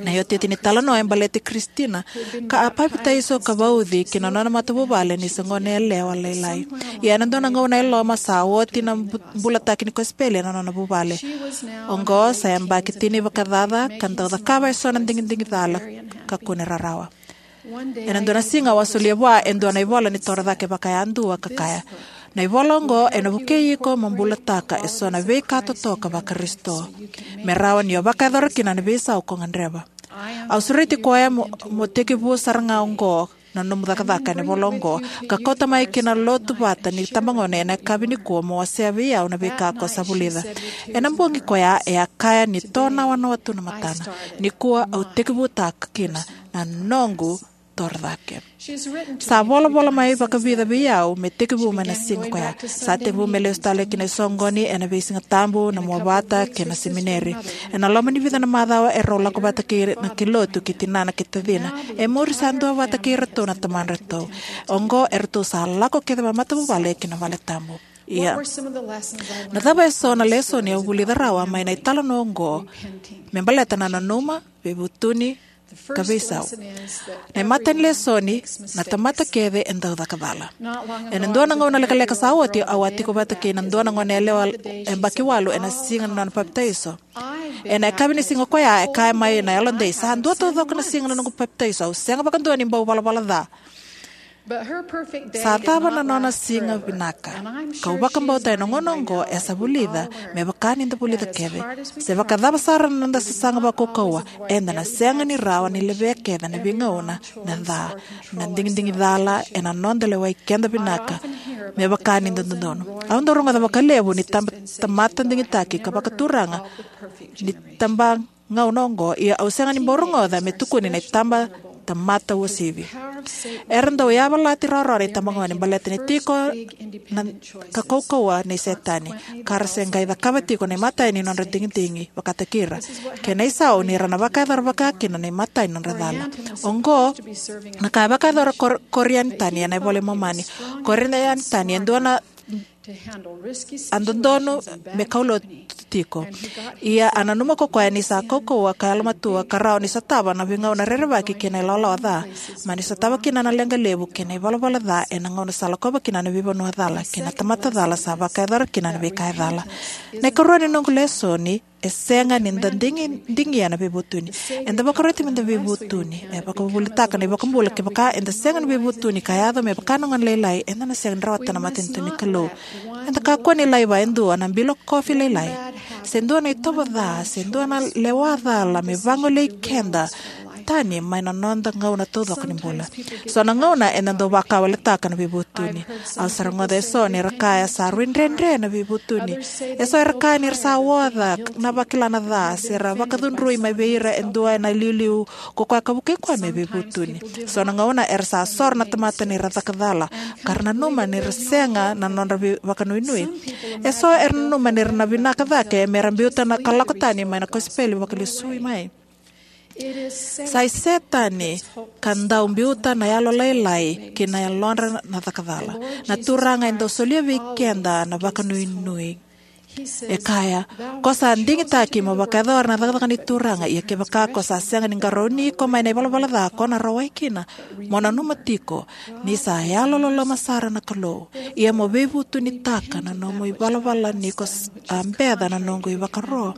Na iotioti ni talanoa e baleti Kristina, ka a papitaiso ka vauci ki na nona matavuvale ni se goneyalewa lailai. Ia ena dua na gauna e loma sa oti na bu- bulataki ni kosipeli ena nona vuvale. Oqo sa yabaki tini vakacaca ka dau cakava eso na digidigi cala ka kune rarawa. Ena dua na siga au a solia vua e dua na ivola ni torocake vakayadua ka kaya, "Na ivola oqo ena vukei iko mo bulataka eso na veika totoka vaKarisito, me rawa ni o vakayacora kina na veisau ko gadreva." Au sureti koya mo, mo tekivu sara ga oqo na nomu cakacaka ena ivola oqo, ka kauta mai ki na lotu vata ni tabagauna ena yakavi nikua mo wasea vei au na veika ko sa vulica. Ena bogi koya e a kaya ni tonawanawa tu na matana. Nikua au tekivutaka kina na noqu torocake. Sa volavola mai vakavica vei au me tekivu mai na siga koya. Sa tekivu me lesu tale ki na isoqoni ena veisiga tabu, na muavata kei na semineri. Ena loma ni vica na macawa e rau lako vata kei na ki lotu ki tinana kei tacina. E muri sa dua vata kei iratou na tamadratou. Oqo e ratou sa lako kece vamatavuvale ki na vale tabu. Ia, na cava eso na lesoni au vulica rawa mai na italanoa oqo me baleta na nanuma, veivutuni, ka veisau? Na imatai ni lesoni, na tamata kece e dau caka cala. Ena dua na gauna lekaleka sa oti, au a tiko vata kei na dua na goneyalewa yabaki walu ena siga ni nona papitaiso. Ena yakavi ni siga koya e kaya mai na yalodei, "Sa dua taucoko na siga na noqu papitaiso, au sega vakadua ni bau valavala ca." Sa cava na nona siga vinaka, kau vakabauta ena gauna oqo e sa vulica me vaka ni da vulica kece. Se vakacava sara na noda sasaga vakaukauwa, eda na sega ni rawa ni levea kece na veigauna na ca, na digidigi cala ena noda lewai keda vinaka me vaka ni da dodonu. Au dau rogoca vakalevu ni tab-, tamata digitaki ka vakaturaga ni taba gauna oqo, ia au sega ni bau rogoca me tukuni na itaba tamata uasivi. Era dau yavalati rawarawa na itabagone baleta ni tiko na ka kaukauwa nei Setani, ka ra se qai cakava tiko na imatai ni nodra digidigi vakataki ira, kei na isau ni ra na vakayacora vaka kina na imatai ni nodra cala. Oqo na ka e vakayacora Kor-, Korianitani ena iVola i Momani. Korianitani e dua na a dodonu me kaulotu tiko. Ia a nanuma ko koya ni sa kaukauwa ka yalomatua ka rawa ni sotava na veigauna rerevaki kei na ilawalawa ca, mani sotava kina na leqa levu kei na ivalavala ca ena gauna sa lakova kina na veivanua cala kei na tamata cala sa vakayacora kina na veika e cala. Na ikarua ni noqu lesoni, e sega ni da digi, digia na veivutuni. Eda vakaroti meda veivutuni. E vakavuvulitaka na iVakabula, kevaka eda sega ni veivutuni ka yaco me vaka na gone lailai, eda na sega ni rawata na matanitu ni Kalou. Eda kakua ni laiva e dua na bilo kofi lailai, se dua na itovo ca, se dua na lewa cala me vagolei keda tani mai na noda gauna taucoko ni bula. So na gauna eda dau vakawaletaka na veivutuni. Au sa rogoca eso ni ra kaya sa rui dredre na veivutuni. Eso era kaya ni ra sa oca na vakila na ca, se ra vakacudrui mai vei ira e dua ena iliuliu ko koya ka vukei koya me veivutuni. So na gauna era sa soro na tamata ni ra caka cala, ka ra nanuma ni ra sega na nodra vei-, vakanuinui. Eso era nanuma ni ra na vinaka cake me ra biuta na ka lako tani mai na kosipeli vakalesui mai. Sa i Setani ka dau biuta na yalolailai ki na yalodra na caka cala. Na Turaga e dau solia vei keda na vakanuinui. E kaya, "Ko sa digitaki mo vakayacora na cakacaka ni Turaga, ia kevaka ko sa sega ni qarauni iko mai na ivalavala ca ko na rawai kina, mo nanuma tiko ni sa yalololoma sara na Kalou, ia mo veivutunitaka na nomu ivalavala ni ko s-, a beca na noqu ivakaro."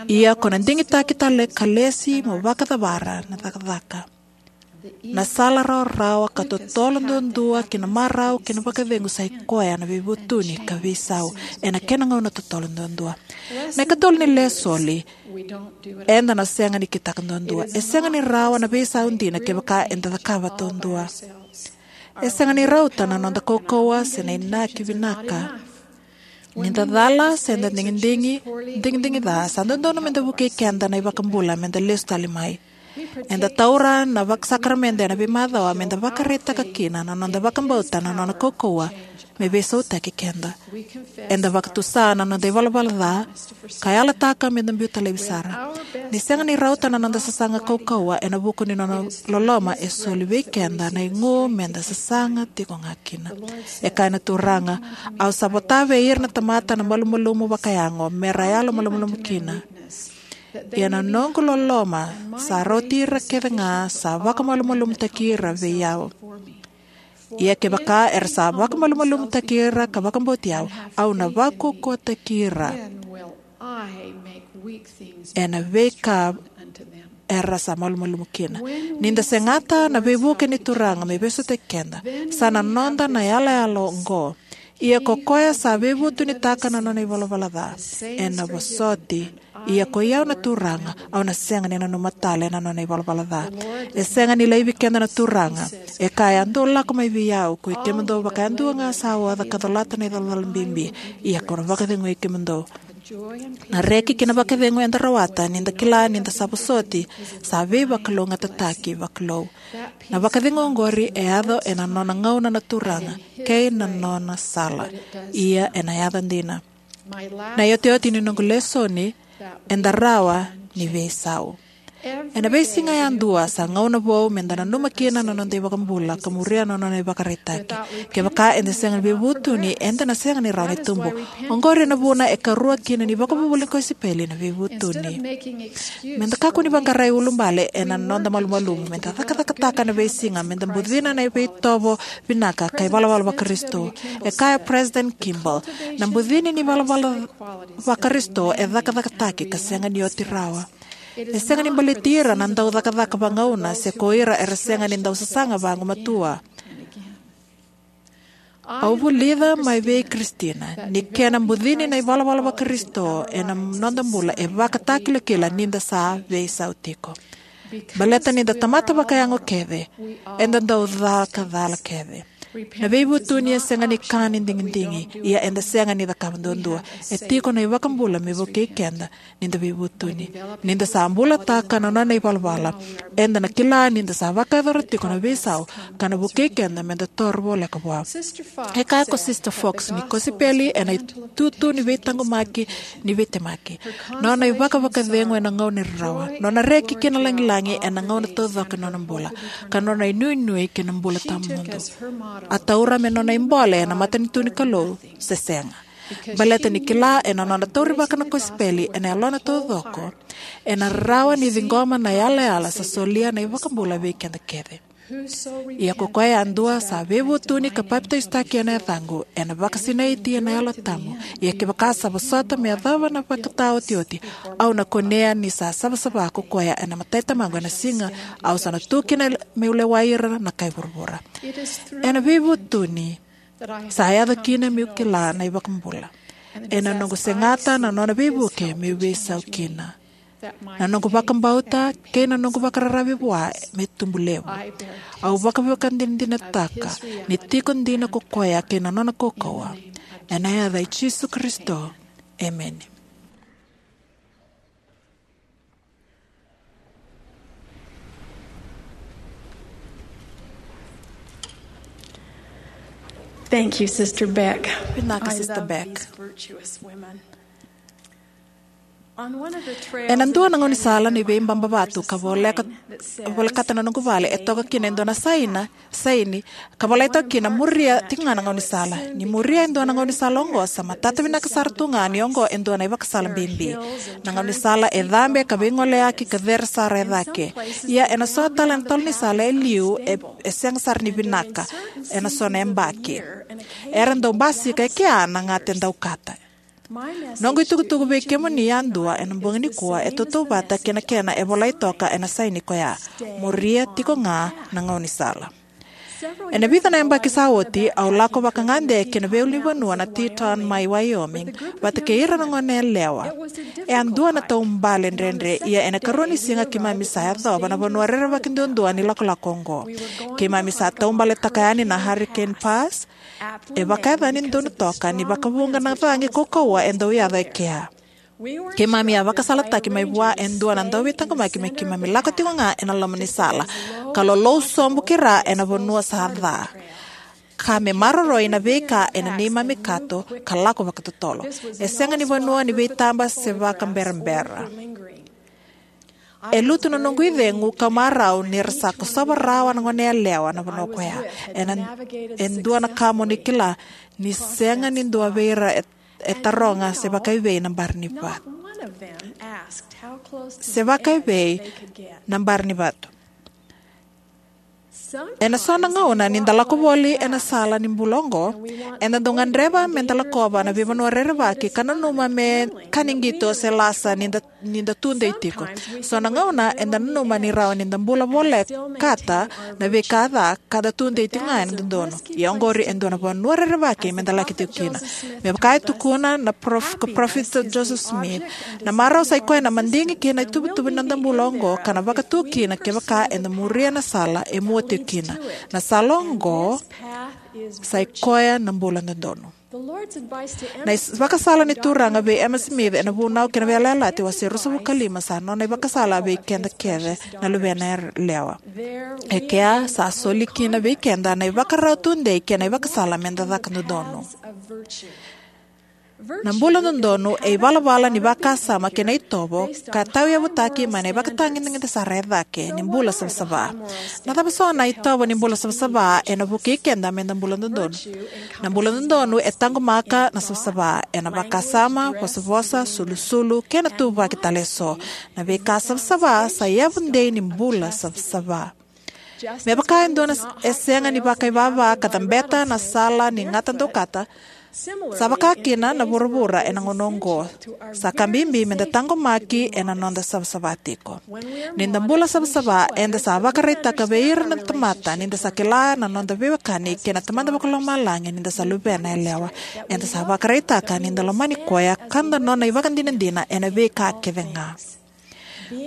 Ia ko na digitaki tale ka lesi mo vakacavara na cakacaka. Na sala rawarawa ka totolo duadua ki na marau kei na vakacegu sa i koya na veivutuni ka veisau ena kena gauna totolo duadua. Na ikatolu ni lesoni, eda na sega ni kitaka duadua. E sega ni rawa na veisau dina kevaka eda cakava duadua. E sega ni rauta na noda kaukauwa se na inaki vinaka. Ni da cala se da digidigi, digidigi ca, sa dodonu meda vukei keda na iVakabula meda lesu tale mai. Eda taura na vakasakaramentu ena veimacawa meda vakaraitaka kina na noda vakabauta na nona kaukauwa me veisautaki keda. Eda vakatusa na noda ivalavala ca ka yalataka meda biuta laivi sara. Ni sega ni rauta na noda sasaga kaukauwa ena vuku ni nona loloma, e soli vei keda na igu meda sasaga tiko ga kina. E kaya na Turaga, "Au sa vota vei ira na tamata na malumalumu vakayago, me ra yalo malumalumu kina. Ia na noqu loloma sa rauti ira kece ga sa vakamalumalumutaki ira vei au. Ia kevaka era sa vakamalumalumutaki ira ka vakabauti au, au na vakaukauwataki ira ena veika era sa malumalumu kina. Ni da segata na veivuke ni Turaga me veisautaki keda, sa na noda na yalayala oqo: Ia ko koya sa veivutunitaka na nona ivalavala ca, ena vosoti. Ia ko i au na Turaga, au na sega ni nanuma tale na nona ivalavala ca. E sega ni laivi keda na Turaga. E kaya: Dou lako mai vei au, ko i kemudou vakayadua ga sa oca ka colata na icolacola bibi, ia kau na vakacegui kemudou. Na reki kei na vakacegu eda rawata ni da kila ni da sa vosoti, sa veivakalougatataki vakalou. Na vakacegu oqori e yaco ena nona gauna na Turaga kei na nona sala. Ia ena yaco dina. Na iotioti ni noqu lesoni, eda rawa ni veisau. Ena veisiga yadua sa gauna vou meda nanuma kina na noda iVakabula ka muria na nona ivakaraitaki. Kevaka eda sega ni veivutuni, eda na sega ni rawa ni tubu. Oqori na vuna e karua kina ni vakavuvuli ni kosipeli na veivutuni. Meda kakua ni vaqarai ulubale ena noda malumalumu, meda cakacakataka na veisiga, meda bucina na veitovo vinaka ka ivalavala vaKarisito. E kaya President Kimball, na bucini ni valavala vaKarisito e cakacakataki ka sega ni oti rawa. E sega ni baleti ira na dau cakacaka vagauna se ko ira era sega ni dau sasaga vagumatua. Au vulica mai vei Kristina ni kena bucini na ivalavala vaKarisito ena noda bula e vakatakilakila ni da sa veisau tiko. Baleta ni da tamata vakayago kece, eda dau caka cala kece. Na veivutuni e sega ni ka ni digidigi, ia eda sega ni cakava duadua. E tiko na iVakabula me vukei keda ni da veivutuni. Ni da sa bulataka na nona ivalavala, eda na kila ni da sa vakayacora tiko na veisau ka na vukei keda meda toro voleka vua. E kaya ko Sister Fox ni kosipeli ena itutu ni veitaqomaki, ni veitemaki. Nona ivakavakacegu ena gauna ni rarawa, nona reki kei na lagilagi ena gauna taucoko ni nona bula, ka nona inuinui kei na bula tawamudu. A taura me nona ibole ena matanitu ni Kalou se sega. Baleta ni kila ena nona taurivaka na kosipeli ena yalona taucoko, ena rawa ni ciqoma na yalayala sa solia na iVakabula vei keda kece. Ia ko koya yadua sa veivutuni ka papitaisotaki ena yacaqu, ena vakasinaiti ena Yalo Tabu. Ia kevaka sa vosota me yacova na vakataotioti, au na kunea ni sa savasava ko koya ena matai Tamaqu ena siga au sa na tu kina me'u lewai ira na kai vuravura. Ena veivutuni sa yaco kina me'u kila na iVakabula. Ena noqu segata na nona veivuke me'u veisau kina. Na noqu vakabauta kei na noqu vakararavi vua me tubu levu. Au vakavakadinadinataka ni tiko dina ko koya kei na nona kaukauwa. Ena yaca i Jisu Karisito. Emeni. Thank you, Sister Beck. Vinaka, I Sister love Beck. These virtuous women. On one of the trails Ena in dua the na gaunisala canyon ni of my home, veibaba vatu there's a ka voleka, sign that says, volekata na noqu vale, e toka kina e dua na "Stay saina, calm." saini ka volai toka kina, "Muria tiko ga na gaunisala." Ni muria e dua na gaunisala oqo, sa matata vinaka sara tu ga ni oqo e dua na ivakasala bibi. Na gaunisala e cabe ka veigoleyaki ka cere sara e cake. Ia ena so tale na tolo ni sala e liu, e, e sega sara ni vinaka ena so na yabaki. Era dau basika e kea na gata e dau kata. Noqu itukutuku vei kemuni yadua ena bogi nikua e tautauvata kei na kena e volai toka ena saini koya: "Muria tiko ga na gaunisala." Ena vica na yabaki sa oti, au lako vakagade ki na veiulunivanua na Teton mai Wyoming vata kei ira na goneyalewa. E a dua na taubale dredre, ia ena ikarua ni siga keimami sa yacova na vanua rerevaki duadua ni lakolako oqo. Keimami sa taubaletaka yani na Hurricane Pass, e vakayacani donu toka ni vakavuqa na cagi kaukauwa e dau yaco e kea. Keimami a vakasalataki mai vua e dua na dauveitaqomaki me keimami lako tiko ga ena loma ni sala ka lolou sobu ki ra ena vanua sa ca, ka me maroroi na veika ena neimami kato ka lako vakatotolo. E sega ni vanua ni veitaba se vakaberabera. E lutu na noqu icegu ka marau ni ra sa kosova rawa na goneyalewa na vanua koya. Ena, e dua na ka mo ni kila, ni sega ni dua vei ira e, e taroga se vakaivei na bari ni vatu. Se vakaivei na bari ni vatu. Ena so na gauna ni da lako voli ena sala ni bula oqo, eda dau gadreva me da lakova na veivanua rerevaki ka nanuma me ka ni qito se lasa ni da ni da tudei tiko. So na gauna eda nanuma ni rawa ni da bula volekata na veika ca ka da tudei tiko ga ena dodonu. Ia oqori e dua na vanua rerevaki me da laki tiko kina. Me vaka e tukuna na prof, ko Parofita Joseph Smith, na marau sai koya na madigi kei na ituvatuva ni noda bula oqo ka na vakatu kina kevaka eda muria na sala e mua tiko kina. Na sala oqo sai koya na bula dodonu. Na is- vakasala ni Turaga vei Emma Smith ena Vunau kei na Veiyalayalati wase ruasagavulu ka lima sa nona ivakasala vei keda kece na luvena yalewa. E kea sa soli kina vei keda na ivakarau tudei kei na ivakasala me da caka dodonu. Na bula dodonu e ivalavala ni vakasama kei na itovo ka tauyavutaki mai na ivakatagedegede sara e cake ni bula savasava. Na cava so na itovo ni bula savasava ena vukei keda me da bula dodonu? Na bula dodonu e taqomaka na savasava, ena vakasama, vosavosa, sulusulu kei na tuvaki tale eso. Na veika savasava sa yavu dei ni bula savasava. Me vaka e dua na s- e sega ni vakaivava ka cabeta na sala ni gata daukata, sa vaka kina na vuravura ena gauna oqo. Sa ka bibi me da taqomaki ena noda savasava tiko. Ni da bula savasava, eda sa vakaraitaka vei ira na tamata ni da sa kila na noda veiwekani kei na Tamada Vakalomalagi ni da sa luvena yalewa. Eda sa vakaraitaka ni da lomani koya ka da nona ivakadinadina ena veika kece ga.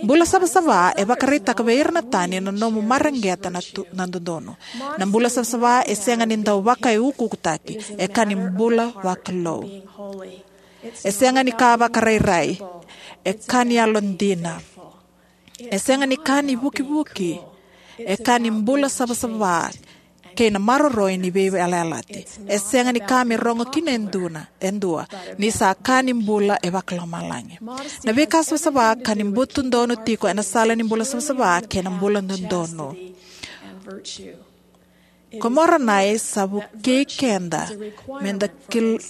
Bula savasava e vakaraitaka vei ira na tani na nomu mareqeta na, tu, na dodonu. Na bula savasava e sega ni dau vakaiukuukutaki, e ka ni bula vakalou. E sega ni ka vakarairai, e ka ni yalodina. E sega ni ka ni vukivuki, e ka ni bula savasava kei na maroroi ni veiyalayalati. E sega ni ka me rogo kina e dua, e dua, ni sa ka ni bula e vakalomalagi. Na veika savasava ka ni butu donu tiko ena sala ni bula savasava kei na bula dodonu. Ko Moronai sa vukei keda me da kil-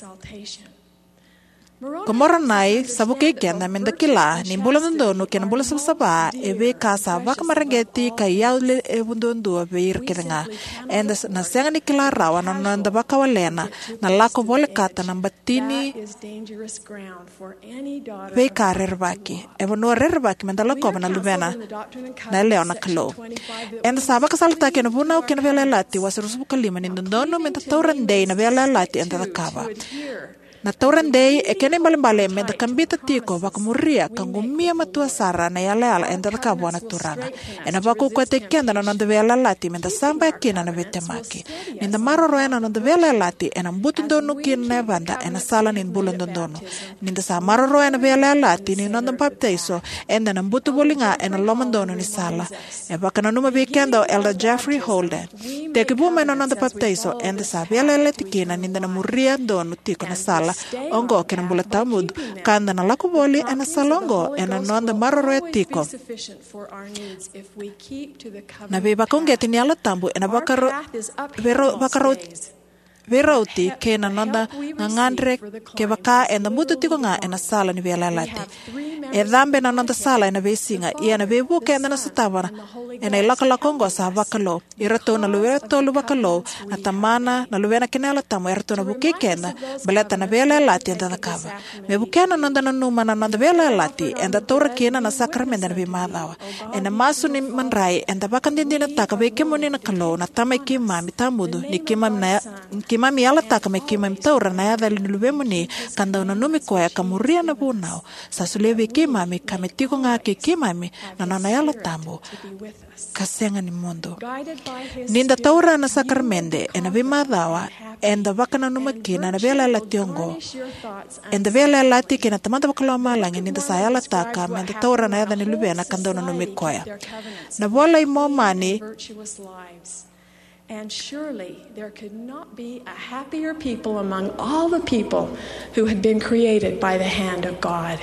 Ko Moronai sa vukei keda me da kila ni bula dodonu kei na bula savasava e veika sa vakamareqeti ka iyaulevu duadua vei ira kece ga. Eda s- na sega ni kila rawa na noda vakawalena na lako volekata na batini veika rerevaki. E vanua rerevaki me da lakova na luvena na yalewa na Kalou. Eda sa vakasalataki ena Vunau kei na Veiyalayalati wase ruasagavulu ka lima ni dodonu me da taura dei na veiyalayalati eda cakava. Na taura dei e kena ibalebale me da kabita tiko, vakamuria ka qumia matua sara na yalayala eda cakava vua na Turaga. Ena vakaukauwataki keda na noda veiyalayalati me da sabaya kina na veitemaki. Ni da maroroya na noda veiyalayalati, ena butu donu kina na yavada ena sala ni bula dodonu. Ni da sa maroroya na veiyalayalati ni noda papitaiso, eda na butu voli ga ena loma donu ni sala. E vakananuma vei keda o Elder Jeffrey Holden, tekivu mai na noda papitaiso, eda sa veiyalayalati kina ni da na muria donu tiko na sala oqo kei na bula tawamudu, ka da na lako voli ena sala oqo ena noda maroroya tiko na veivakauqeti ni Yalo Tabu ena vakaro- veiro- vakarau- veirauti kei na noda gagadre. Kevaka eda butu tiko ga ena sala ni veiyalayalati, e cabe na noda sala ena veisiga, ia na veivuke eda na sotava ena ilakolako oqo sa vakalou. Iratou na luvena tolu vakalou, na Tamana, na Luvena kei na Yalo Tabu, eratou na vukei keda baleta na veiyalayalati eda cakava. Me vukea na noda nanuma na noda veiyalayalati, eda taura kina na sakaramede ena veimacawa. Ena masu ni madrai, eda vakadinadinataka vei kemuni na Kalou, na Tama i keimami tawamudu, ni keimami na ya- ni keimami yalataka me keimami taura na yaca ni Luvemuni, ka dau nanumi koya ka muria na vunau sa solia vei keimami, ka me tiko ga kei keimami na nona Yalo Tabu ka sega ni mudu. Ni da taura na sakaramede ena veimacawa, eda vakananuma kina na veiyalayalati oqo. Eda veiyalayalati kei na Tamada Vakalomalagi ni da sa yalataka me da taura na yaca ni Luvena ka dau nanumi koya. Na iVola i Momani And surely there could not be a happier people among all the people who had been created by the hand of God.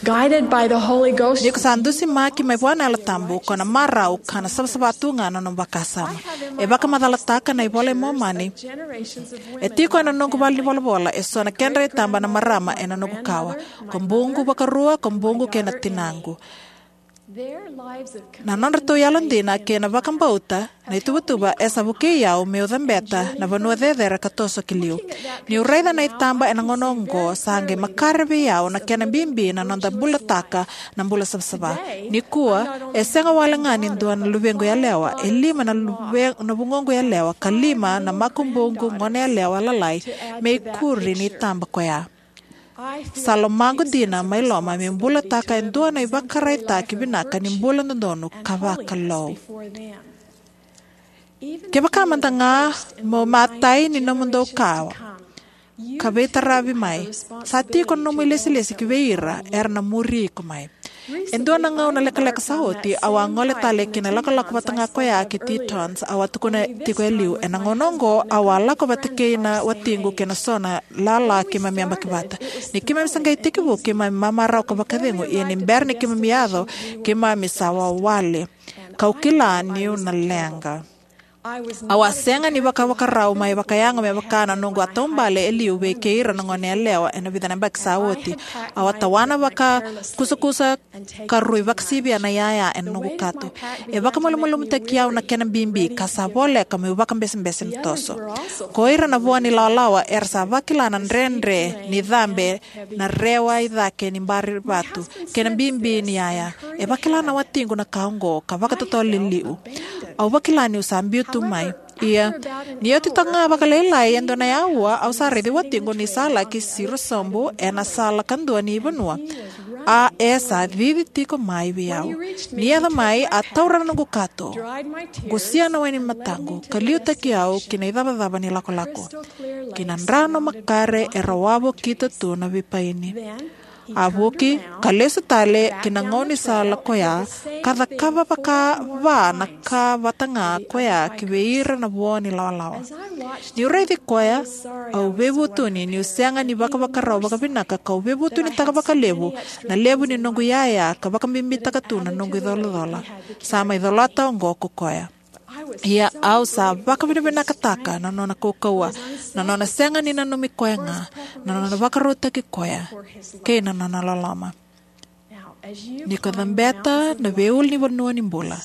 Guided by the Holy Ghost. Ni ko sa dusimaki mai vua na Yalo Tabu, ko na marau ka na savasava tu ga na nomu vakasama. E vakamacalataka na iVola i Momani. E tiko ena noqu valenivolavola eso na kedra itaba na marama ena noqu kawa. Ko buqu vakarua, ko buqu kei na tinaqu. Na nodratou yalodina kei na vakabauta na ituvatuva e sa vukei au meu cabeta na vanua cecere ka toso ki liu. Niu raica na itaba ena gauna oqo, sa qai makare vei au na kena bibi na noda bulataka na bula savasava. Nikua, e sega wale ga ni dua na luvequ yalewa, e lima na luve-, na vugoqu yalewa, ka lima na makubuqu gone yalewa lalai me ikuri ni itaba koya. Sa lomaqu dina mai loma meu bulataka e dua na ivakaraitaki vinaka ni bula dodonu ka vakalou. Kevaka mada ga mo matai ni nomudou kawa ka veitaravi mai, sa tiko na nomu ilesilesi ki vei ira era na muri iko mai. E dua na gauna lekaleka sa oti, au a gole tale ki na lakolako vata ga koya ki Tetons. Au a tukuna tiko e liu, ena gauna oqo au a lako vata kei na watiqu kei na so na lala keimami yabaki vata. Ni keimami sa qai tekivu, keimami mamarau ka vakacegu, ia ni bera ni keimami yaco, keimami sa wawale. Kau kila niu na leqa. Au a sega ni vakavakarau mai vakayago me vaka na noqu a taubale e liu vei kei ira na gone yalewa ena vica na yabaki sa oti. Au a tawana vakakusakusa ka rui vakasivia na iyaya ena noqu kato. E vakamalumalumutaki au na kena bibi ka sa voleka meu vakabesebese na toso. Ko ira na vua ni lawalawa era sa vakila na dredre ni cabe na rewa i cake ni bari vatu kei na bibi ni iyaya. E vakila na watiqu na ka oqo ka vakatotolo e liu. Au vakila niu sa biu tu mai. Ia, ni oti toka ga vakalailai e dua na aua, au sa raici watiqu ni sa laki siro sobu ena sala kadua ni vanua. A e sa cici tiko mai vei au. Ni yaco mai, a taura na noqu kato, qusia na wai ni mataqu, ka liutaki au ki na icavacava ni lakolako, ki na drano makare e rawavokita tu na veipaini. A vuki ka lesu tale ki na gaunisala koya, ka cakava vakava na ka vata ga koya ki vei ira na vua ni lawalawa. Niu raici koya, au veivutuni niu sega ni vakavakarau vakavinaka, kau veivutunitaka vakalevu na levu ni noqu iyaya ka vakabibitaka tu na noqu icolacola. Sa mai colata oqo ko koya. Ia au sa vakavinavinakataka na nona kaukauwa, na nona sega ni nanumi koya ga, na nona vakarautaki koya, kei na nona loloma. Ni ko cabeta na veiulunivanua ni bula,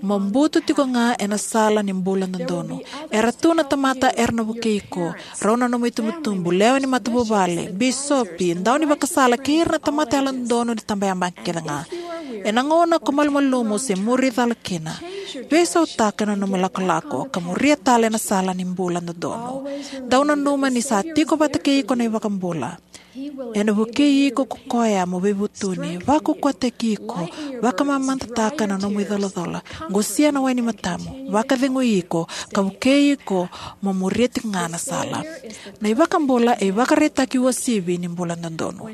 mo butu tiko ga ena sala ni bula dodonu. Era tu na tamata era na vukei iko, rau na nomu itubutubu, lewe ni matavuvale, bisopi, daunivakasala kei ira na tamata yalododonu ni tabayabaki kece ga. Ena gauna ko malumalumu se muri cala kina, veisautaka na nomu lakolako ka muria tale na sala ni bula dodonu. Dau nanuma ni sa tiko vata kei iko na iVakabula. Ena vukei iko ko koya mo veivutuni, vakaukauwataki iko, vakamamadataka na nomu icolacola, qusia na wai ni matamu, vakacegui iko, ka vukei iko mo muria tiko ga na sala. Na iVakabula e ivakaraitaki uasivi ni bula dodonu.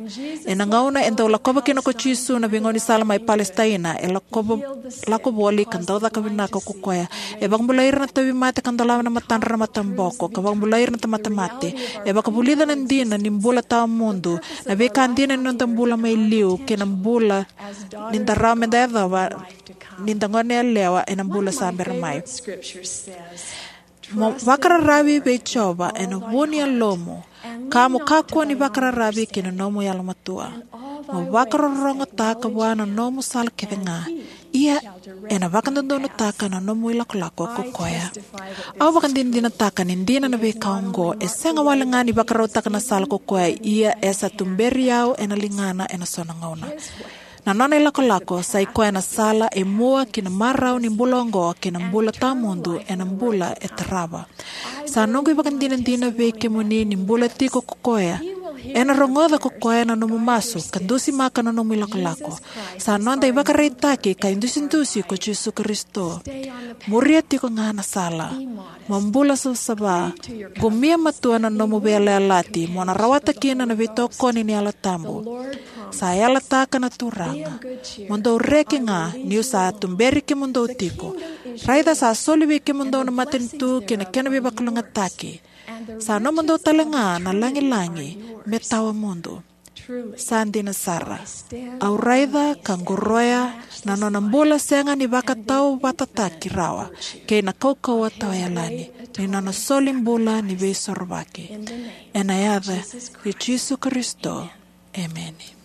Ena gauna e dau lakova kina ko Jisu na veigaunisala mai Palesitaina, e lakova, lako voli ka dau caka vinaka ko koya. E vakabulai ira na tauvimate ka dolava na matadra na mataboko, ka vakabulai ira na tamata mate. E vakavulica na dina ni bula tawamudu, na veika dina ni noda bula mai liu, kei na bula ni da rawa me da yacova ni da gone yalewa ena bula sa bera mai. Mo vakararavi vei Jiova ena vu ni yalomu, ka mo kakua ni vakararavi ki na nomu yalomatua. Mo vakarorogotaka vua na nomu sala kece ga, ia ena vakadodonutaka na nomu ilakolako ko koya. Au vakadinadinataka ni dina na veika oqo, e sega wale ga ni vakarautaka na sala ko koya, ia e sa tuberi au ena ligana ena so na gauna. Na nona ilakolako sa i koya na sala e mua ki na marau ni bula oqo kei na bula tawamudu ena bula e tarava. Sa noqu ivakadinadina vei kemuni ni bula tiko ko koya. Ena rogoca ko koya na nomu masu ka dusimaka na nomu ilakolako. Sa noda ivakaraitaki ka idusidusi ko Jisu Karisito. Muria tiko ga na sala. Mo bula savasava, qumia matua na nomu veiyalayalati, mo na rawata kina na veitokoni ni Yalo Tabu. Sa yalataka na Turaga, mo dou reki ga, niu sa tuberi kemudou tiko. Raica sa soli vei kemudou na matanitu kei na kena veivakalougatataki. Sa nomudou tale ga na lagilagi me tawamudu. Sa dina sara. Au raica ka qoroya na nona bula sega ni vakatauvatataki rawa kei na kaukauwa tawayalani ni nona soli bula ni veisorovaki. Ena yaca i Jisu Karisito. Emeni.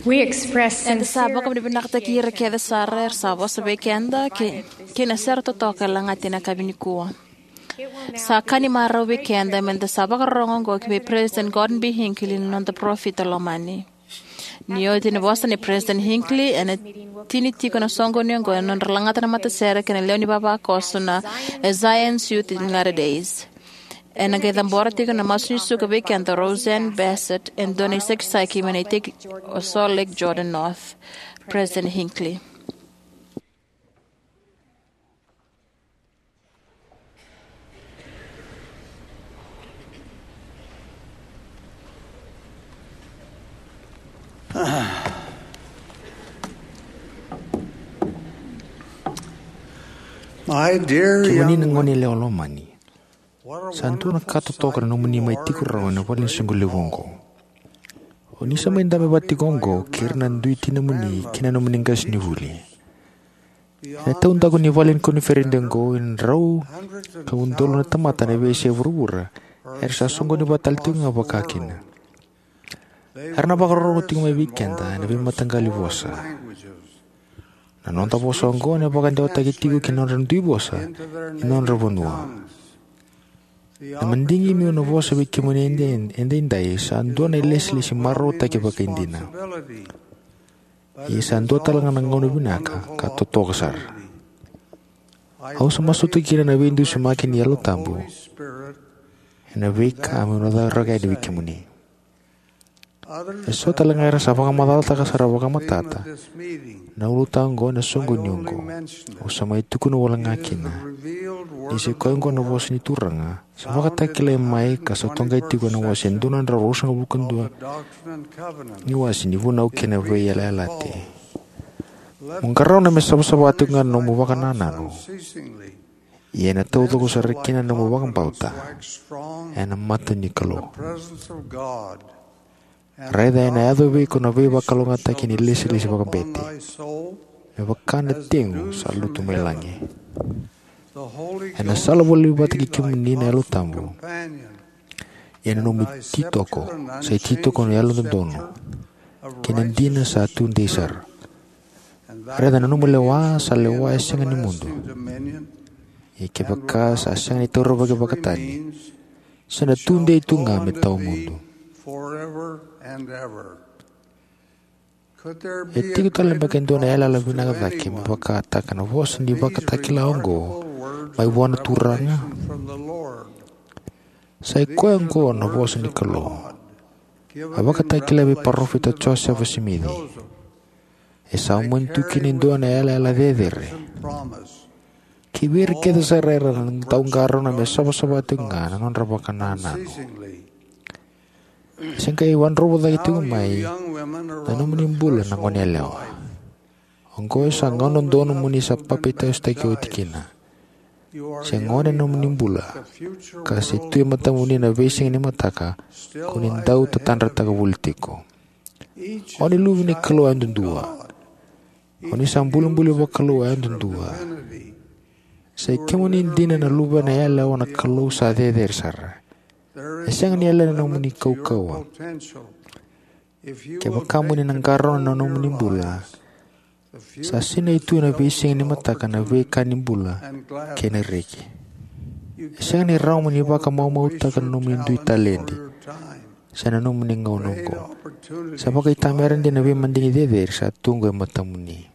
We express Eda sa sincere vakavinavinakataki ira kece sara era sa vosa vei keda kei, kei na sere totoka e lagati ena yakavi nikua. Sa ka ni marau vei keda meda sa vakarorogo oqo ki vei President Gordon B. Hinckley, na noda parofita lomani. Ni oti na vosa nei President Hinckley, ena tini tiko na soqoni oqo ena nodra lagata na matasere kei na lewe ni vavakoso na Zion's Youth in Latter Days. Ena qai cabora tiko na masu ni suka vei keda o Roseanne Bassett, e dua na isakisaki mai na iteki o Salt Lake Jordan North. President Hinckley. My dear Kemuni na young gone yalewa lomani, sa dua na ka totoka na nomuni mai tiko rawa ena vale ni soqo levu oqo. O ni sa mai dabe vata tiko oqo kei ira na dui tinamuni kei na nomuni qasenivuli. Ena taudaku ni vale ni koniferedi oqo, e drau ka udolu na tamata ena veiyasai vuravura era sa soqoni vata tale tiko ga vakakina. Era na vakarorogo tiko mai vei keda ena veimataqali vosa. Na noda vosa oqo ena vakadewataki tiko ki na nodra dui vosa ni nodra vanua. Na madigi meu na vosa vei kemuni ede, edaidai sa dua na ilesilesi marautaki vakaidina. Ia sa dua tale ga na gauna vinaka ka totoka sara. Au sa masuta kina na veidusimaki ni Yalo Tabu ena veika meu na cakava yani vei kemuni. Eso tale ga era sa vakamacalataka sara vakamatata na ulutaga oqo ena soqoni oqo. Au sa mai tukuna wale ga kina ni sa i koya oqo na vosa ni Turaga sa vakatakilai mai ka sa toqai tiko ena wase dua na drau ruasagavulu ka dua ni wase ni Vunau kei na Veiyalayalati. Mo qarauna me savasava tiko ga na nomu vakanananu, ia ena taucoko sara kina na nomu vakabauta ena mata ni Kalou. Raica ena yaco vei iko na veivakalougatataki ni lesilesi vakabete, me vaka na tegu sa lutu mai lagi. Ena sala voli vata kei kemuni na Yalo Tabu. Ia na nomu ititoko sa ititoko ni yalododonu kei na dina sa tudei sara. Raica, na nomu lewa sa lewa e sega ni mudu. Ia kevaka sa sega ni taurivaki vakatani, sa na tudei tu ga me tawamudu. E tiko tale beka e dua na yalayala vinaka cake me vakataka na vosa ni ivakatakila oqo mai vua na Turaga? Sa i koya oqo na vosa ni Kalou a vakatakila vei Parofita Josefa Simici. E sa mani tu kina e dua na yalayala cecere kivei ira kece sara era na dau qarauna me savasava tiko ga na nodra vakanananu. Se qai wadrovu cake tiko mai na nomuni bula na gone yalewa. Oqo e sa gauna donu mo ni sa papitaisotaki oti kina. Se gone na nomuni bula, ka se tu e matamuni na veisiga ni mataka ko ni dau tatadrataka voli tiko. O ni luve ni Kalou yadudua. O ni sa bulibuli vakalou yadudua. Sa i kemuni dina na luvena yalewa na Kalou sa cecere sara. E sega ni yalani na nomuni kaukauwa. Kevaka mo ni na qarauna na nomuni bula, sa sinai tu ena veisiga ni mataka na veika ni bula kei na reki. E sega ni rawa mo ni vakamaumautaka na nomuni dui taledi se na nomuni gauna oqo. Sa vakaitamera dina na veimadigi cecere sa tu oqo e matamuni.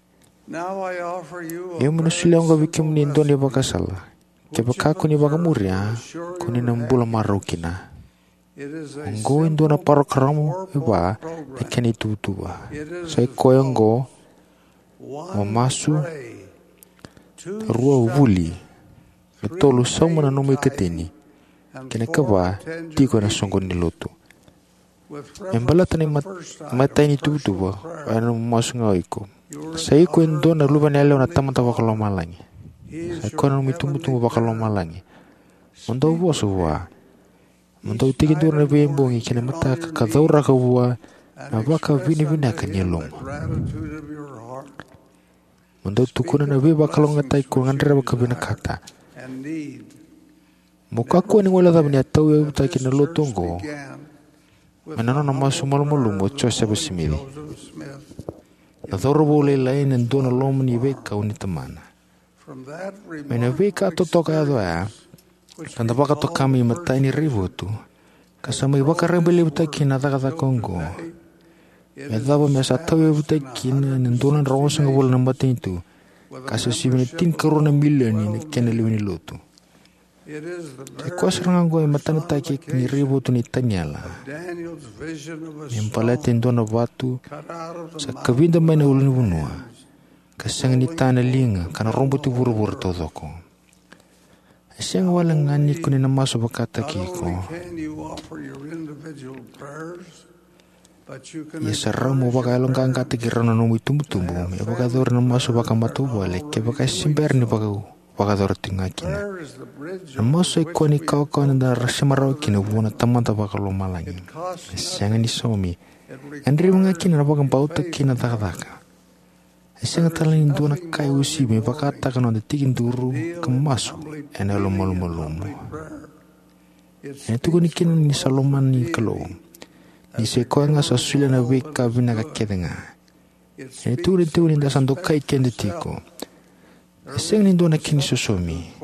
Ia meu na solia oqo vei kemuni e dua na ivakasala. Kevaka ko ni vakamuria, ko ni na bula marau kina. Oqo e dua na parokaramu e va na kena ituvatuva. Sa i koya oqo: mo masu, rua, vuli, na tolu, sauma na nomu ikatini, kei na kava, tiko ena soqoni ni lotu. Me baleta na imat-, imatai ni tuvatuva, o ya na nomu masu ga o iko. Sa iko e dua na luvena yalewa na Tamada Vakalomalagi. Sa i koya na nomu itubutubu vakalomalagi. Mo dau vosa vua. Mo dau tekiduru na veibogi kei na mataka ka cauraka vua na vakavinavinaka ni yalomu. Mo dau tukuna na veivakalougatataki ko gadreva ka vinakata. Mo kakua ni guilecava ni a tauyavutaki na lotu oqo mai na nona masu malumalumu o Josefa Simici. Na cauravou lailai ena dua na loma ni veikau ni tamana. Mai na veika totoka yaco oya, ka da vakatoka mai matai ni raivotu, ka sa mai vakarabailevutaki kina na cakacaka oqo, me yacova me sa tauyavutaki kina ena dua na drau onosagavulu na matanitu, ka sa sivia na tinikarua na milioni na kena lewe ni lotu. Sa i koya sara ga oqo e matanataki ni raivotu nei Taniela, me baleta e dua na vatu sa kavida mai na ulunivanua, ka sega ni ta na liga, ka na roboti vuravura taucoko. E sega wale ga ni ko ni na masu vakataki iko, ia sa rawa mo vakayaloqaqataki rau na nomu itubutubu me vakayacori na masu vakamatavuvale kevaka e se bera ni vaka vakayacora tiko ga kina. Na masu sa i koya na ikawakawa eda na sema rawa kina vua na Tamada Vakalomalagi. E sega ni saumi. E gadrevi ga kina na vakabauta kei na cakacaka. E sega tale ni dua na ka e uasivi me vakataka na noda tekiduru ka masu ena yalomalumalumu. Ena tukuni kina ni sa lomani na Kalou, ni sa i koya ga sa solia na veika vinaka kece ga. Ena tukuni tiko ni da sa dokai keda tiko. E sega ni dua na kena isosomi.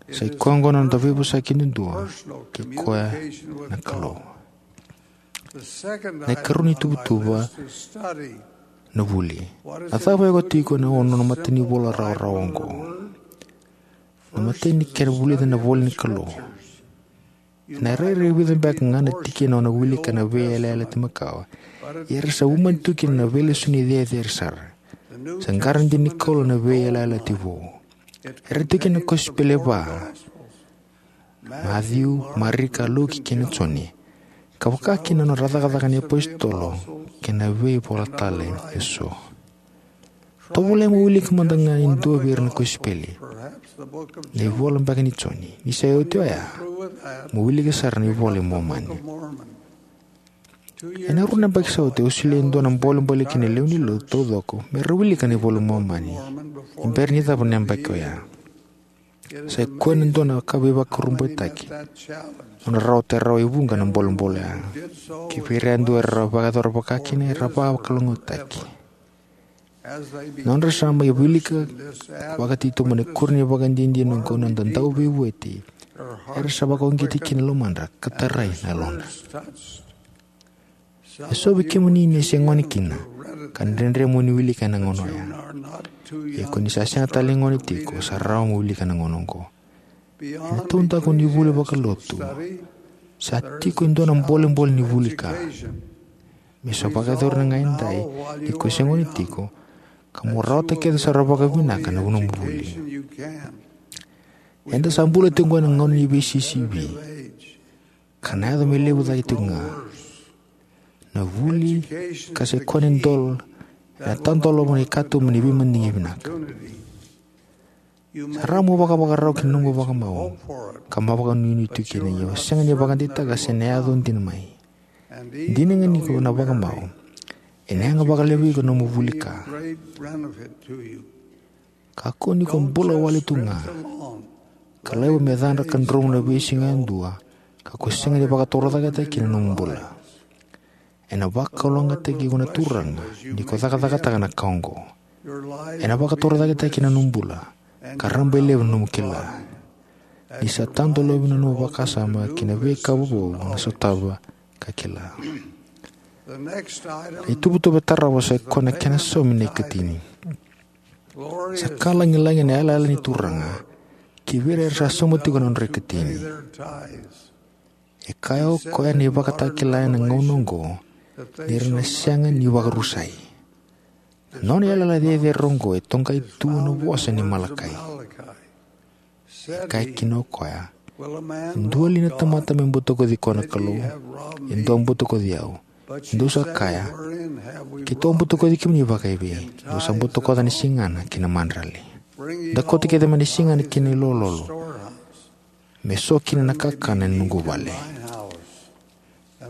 Sa i koya oqo na noda veivosaki duadua kei koya na Kalou. Na ikarua ni tuvatuva, na vuli. A cava e oka tiko ena nona matanivola rawarawa oqo? Na imatai ni kena vulica na ivola ni Kalou. Ena rairai vica beka ga na tikina o na wilika na veiyalayalati makawa, ia era sa umani tu kina na veilesoni cecere sara. Sa qara dina ni Kalou na veiyalayalati vou. Era tiko kina na kosipeli e va: Maciu, Marika, Luke kei na Joni, ka vaka kina na nodra Cakacaka ni Apositolo kei na veivola tale eso. Tovolea mo wilika mada ga e dua vei ira na kosipeli, na ivola beka nei Joni. Ni sa oti oya, mo wilika sara na iVola i Momani. Ena rua na yabaki sa oti au solia e dua na bolebole ki na lewe ni lotu taucoko me ra wilika na iVola i Momani ni bera ni cava na yabaki oya. Sa i koya na dua na ka veivakurabuitaki, nodra rawata rawa e vuqa na bolebole oya. Kivei ira yadua era vakayacora vaka kina, era vakalougatataki. Nodra sa mai wilika vakatitobu ena ikuri ni ivakadinadina oqo na noda Dauveivueti, era sa vakauqeti kina na lomadra ka tarai na yalodra. Eso vei kemuni ni se gone kina, ka dredre mo ni wilika ena gauna oya. Ia ko ni sa sega tale ni gone tiko, sa rawa mo wilika ena gauna oqo. Ena taudaku ni vuli vakalotu, sa tiko e dua na bolebole ni vuli ka. Me sa vakayacori na ga edai ni ko se gone tiko, ka mo rawata kece sara vakavinaka na nomu vuli. Eda sa bula tiko oqo ena gauna ni veisisivi, ka na yaco me levu cake tiko ga. Na vuli ka sa i koya na idola ena tadolava na ikatuba ni veimadigi vinaka. Sa rawa mo vakavakarau ki na nomu vakamau, ka mo vakanuinui tu kina, ia mo sega ni vakadeitaka se na yaco dina mai. Dina ga ni ko na vakamau, ena yaga vakalevu vei iko na nomu vuli ka. Kakua ni ko bula wale tu ga, ka laiva me cadra ka dromu na veisiga yadua, ka ko sega ni vakatorocaketaki kina na nomu bula. Ena vakalougatataki iko na Turaga ni ko cakacakataka na ka oqo. Ena vakatorocaketaki na nomu bula, ka rabailevu na nomu kila. Ni sa tadolavi na nomu vakasama ki na veika vovou o na sotava ka kila. Na ituvatuva e tarava sa i koya na kena saumi na ikatini. Sa ka lagilagi na yalayala ni Turaga ki vei ira era sa sauma tiko na nodra ikatini. E kaya o koya na ivakatakila ena gauna oqo ni ra na sega ni vakarusai. Na nona yalayala cecere oqo e toqai tu ena vosa ni Malakai. E kaya kina o koya, e dua li na tamata me butakoci koya na Kalou? E dua butakoci au. Dou sa kaya, keitou a butakoci kemuni vakaevei? Dou sa butakoca na sigana kei na madrali. Dakota kece mai na sigana kei na ilololo, me so kina na kakana ena noqu vale.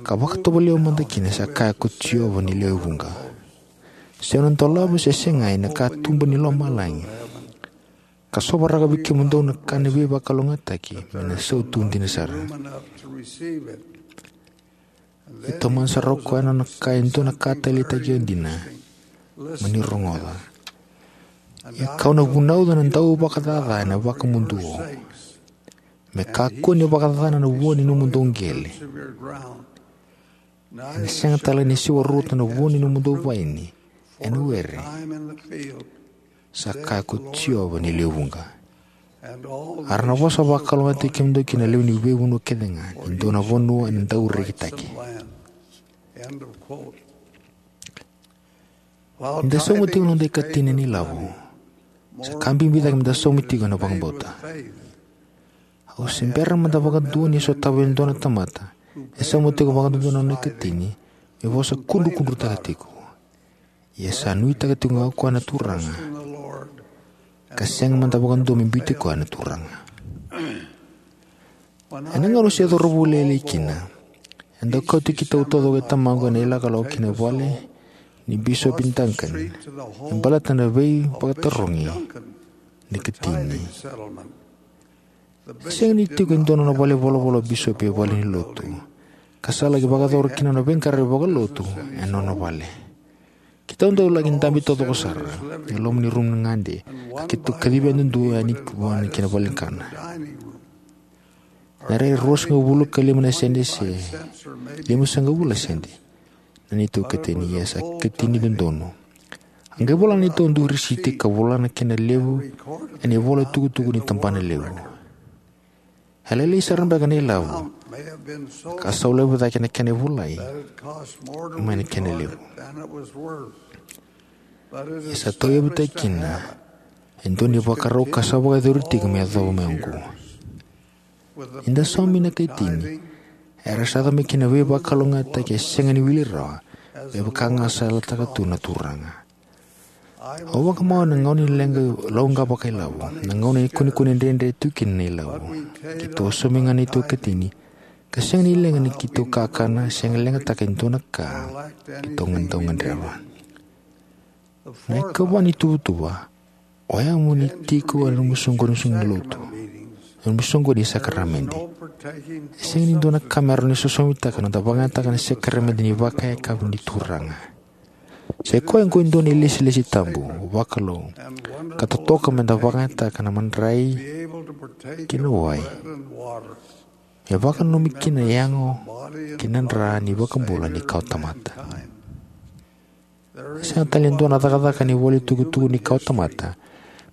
Ka vakatovolea au mada kina, sa kaya ko Jiova ni lewe vuqa. Se au na dolava se sega ena katuba ni lomalagi, ka sovaraka vei kemudou na ka ni veivakalougatataki, me na sautu dina sara. E taumada sara o koya na nona kaya e dua na ka taleitaki dina. Mani rogoca. Ia kau na vunauca na dauvakacaca ena vakamuduo, me kakua ni vakacacana na vua ni nomudou qele, ena sega tale ni siwa rauta na vua ni nomudou vaini ena were. Sa kaya ko Jiova ni lewe vuqa. A ra na vosa vakalougatataki kemudou kina na lewe ni veivanua kece ga, ni dua na vanua ena dau rekitaki. Ni da sauma tiko na noda ikatini ena ilavo, sa ka bibi cake me da sauma tiko ena vakabauta. Au se bera mada vakadua ni sotava e dua na tamata e sauma tiko vakadodonu na nona ikatini me vosa kudrukudrutaka tiko. Ia sa nuitaka tiko ga o koya na Turaga, ka sega mada vakadua me biuti koya na Turaga. Ena gauna au se cauravou lailai kina, e dau kauti keitou taucoko e tamaqu ena ilakolako ki na vale ni Bisopi Duncan me baleta na veivakatarogi ni ikatini. E sega ni tiko e dua na nona valenivolavola o bisopi e valenilotu, ka sa laki vakayacora kina na veiqaravi vakalotu ena nona vale. Keitou dau laki dabe taucoko sara e loma ni rumu ni gade, ka keitou kacivi yadudua yani vua ki na valenikana. Ena rairai ruasagavulu ka lima na sede se limasagavulu na sede na neitou ikatini, ia sa ikatini dodonu. A qai vola na neitou dui risiti ka vola na kena levu ena ivola tukutuku ni tabana levu. E lailai sara beka na ilavo, ka sa levu cake na kena ivolai mai na kena levu. E sa tauyavutaki kina e dua na ivakarau ka sa vakayacori tiko me yacova mai oqo. Ni da saumi na ikatini, era sa yaco mai kina na veivakalougatataki e sega ni wili rawa, me vaka ga sa yalataka tu na Turaga. Au vakamawe ena gauna ni leqa lauqa vakailavo, na gauna ni kunekune dredre tu kina na ilavo. Keitou saumi ga na neitou ikatini, ka sega ni leqa ni keitou kakana, sega ni leqataka e dua na ka keitou dau gadreva. Na ikava ni ituvatuva, oya mo ni tiko ena nomu soqoni ni lotu, ena nomu soqoni ni sakaramede. E sega ni dua na ka me rawa ni sosomitaka na noda vakayagataka na sakaramede ni vakayakavi ni Turaga. Sa i koya oqo e dua na ilesilesi tabu vakalou, ka totoka me da vakayagataka na madrai kei na wai, me vakananumi kina na yago kei na dra ni iVakabula ni kawatamata. E sega tale e dua na cakacaka ni ivolatukutuku ni kawatamata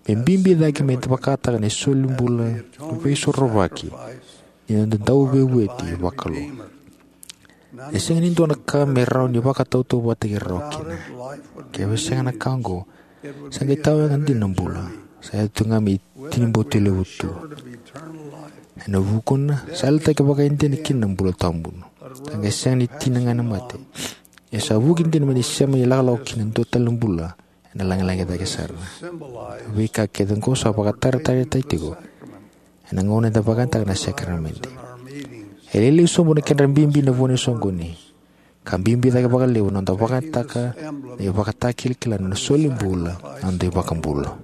me bibi cake me vakataka na solibula veisorovaki ni noda Dauveivueti vakalou. E sega ni dua na ka me rawa ni vakatautauvatataki rawa kina. Kevaka e sega na ka oqo, sa qai tawayaga dina na bula, sa yaco tu ga me itinibatilevu tu. Ena vukuna, sa yalataki vakaidina kina na bula tawamudu. Sa qai sega ni tina ga na mate, ia sa vuki dina me na sema ni lakolako ki na dua tale na bula ena lagilagi cake sara. Veika kece oqo sa vakataratarataki tiko ena gauna eda vakayagataka na sakaramede. E lailai sobu na kedra bibi ena vanua ni soqoni, ka bibi cake vakalevu na noda vakayagataka na ivakatakilakila ni solibula ni noda iVakabula.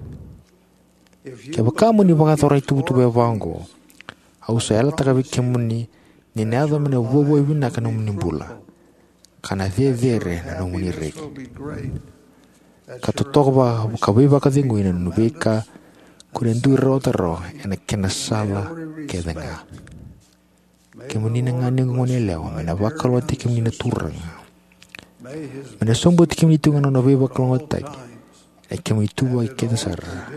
Kevaka mo ni vakayacora na ituvatuva e va oqo, au sa yalataka vei kemuni ni na yaco me na vuavuai vinaka na nomuni bula, ka na cecere na nomuni reki, ka totoka vaka, ka veivakacegui na nomuni veika ko ni dui rawata rawa ena kena sala kece ga. Kemuni na ganequ, goneyalewa, me na vakalougatataki kemuni na Turaga. Me na sobuti kemuni tiko ga na nona veivakalougatataki ena kemuni ituvaki kece sara.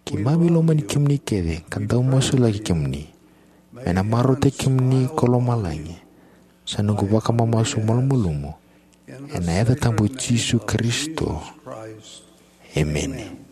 Keimami lomani kemuni kece ka dau masulaki kemuni. Me na marautaki kemuni ko lomalagi. Sa noqu vakamamasu malumalumu ena yaca tabu i Jisu Karisito. Emeni.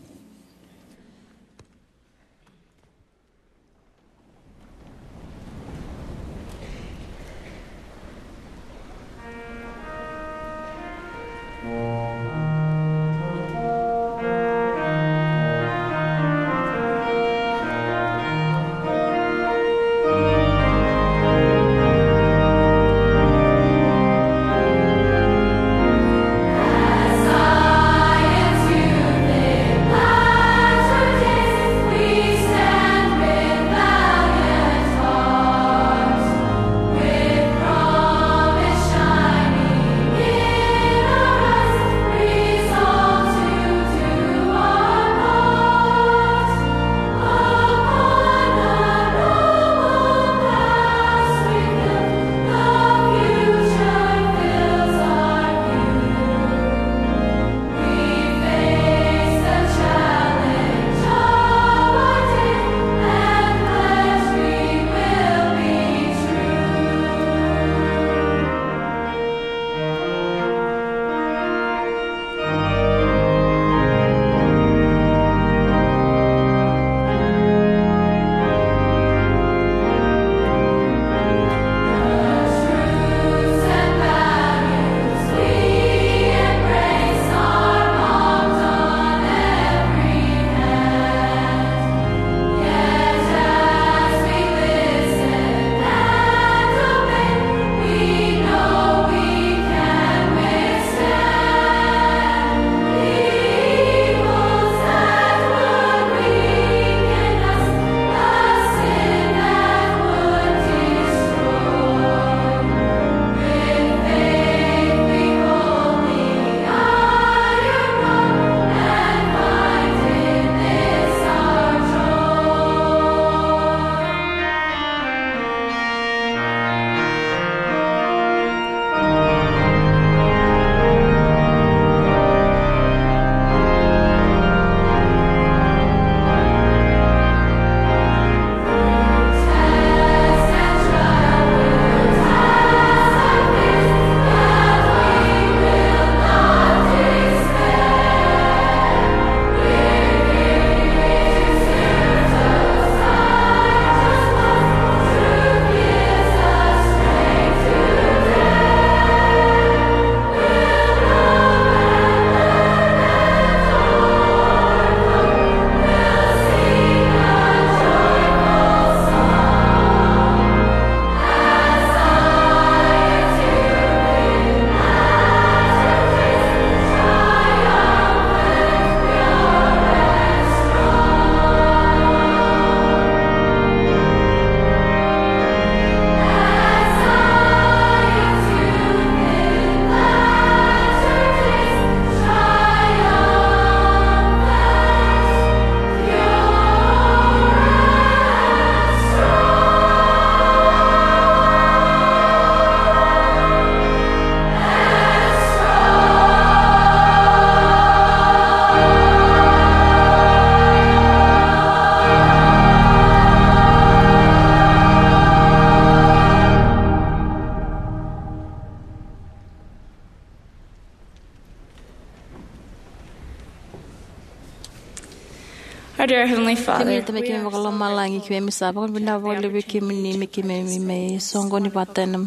Our dear Heavenly Father, kemuni Tamai, keimami vakalomalagi, keimami sa vakavinavinaka vakalevu vei kemuni me keimami mai soqoni vata ena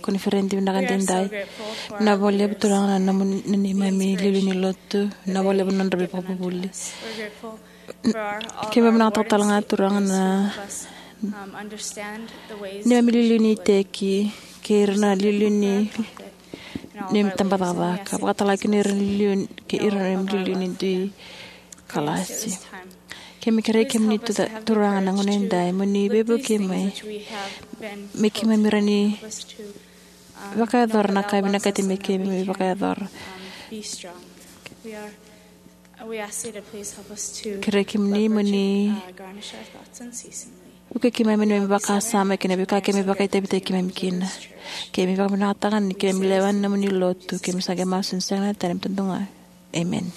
koniferedi vinaka edaidai. Vinaka vakalevu, Turaga, na nomuni, na neimami iliuliu ni lotu. Vinaka vakalevu na nodra veivakavuvuli. Keimami vinakata tale ga, Turaga, na neimami iliuliu ni iteki kei ira na iliuliu ni neimami tabacakacaka, vakatalega kina ira na iliuliu kei ira na neimami iliuliu ni dui kalasi. Keimami kerei kemuni, Turaga, na gauna edaidai mo ni veivuke mai me keimami rawa ni vakayacora na ka e vinakati me keimami vakayacora. Kerei kemuni mo ni vukei keimami ena neimami vakasama kei na veika keimami vakaitavitaki keimami kina. Keimami vakavinavinakataka ni keimami lewena na nomuni lotu, keimami sa qai masu ena sega ni tani, me duadua ga. Emeni.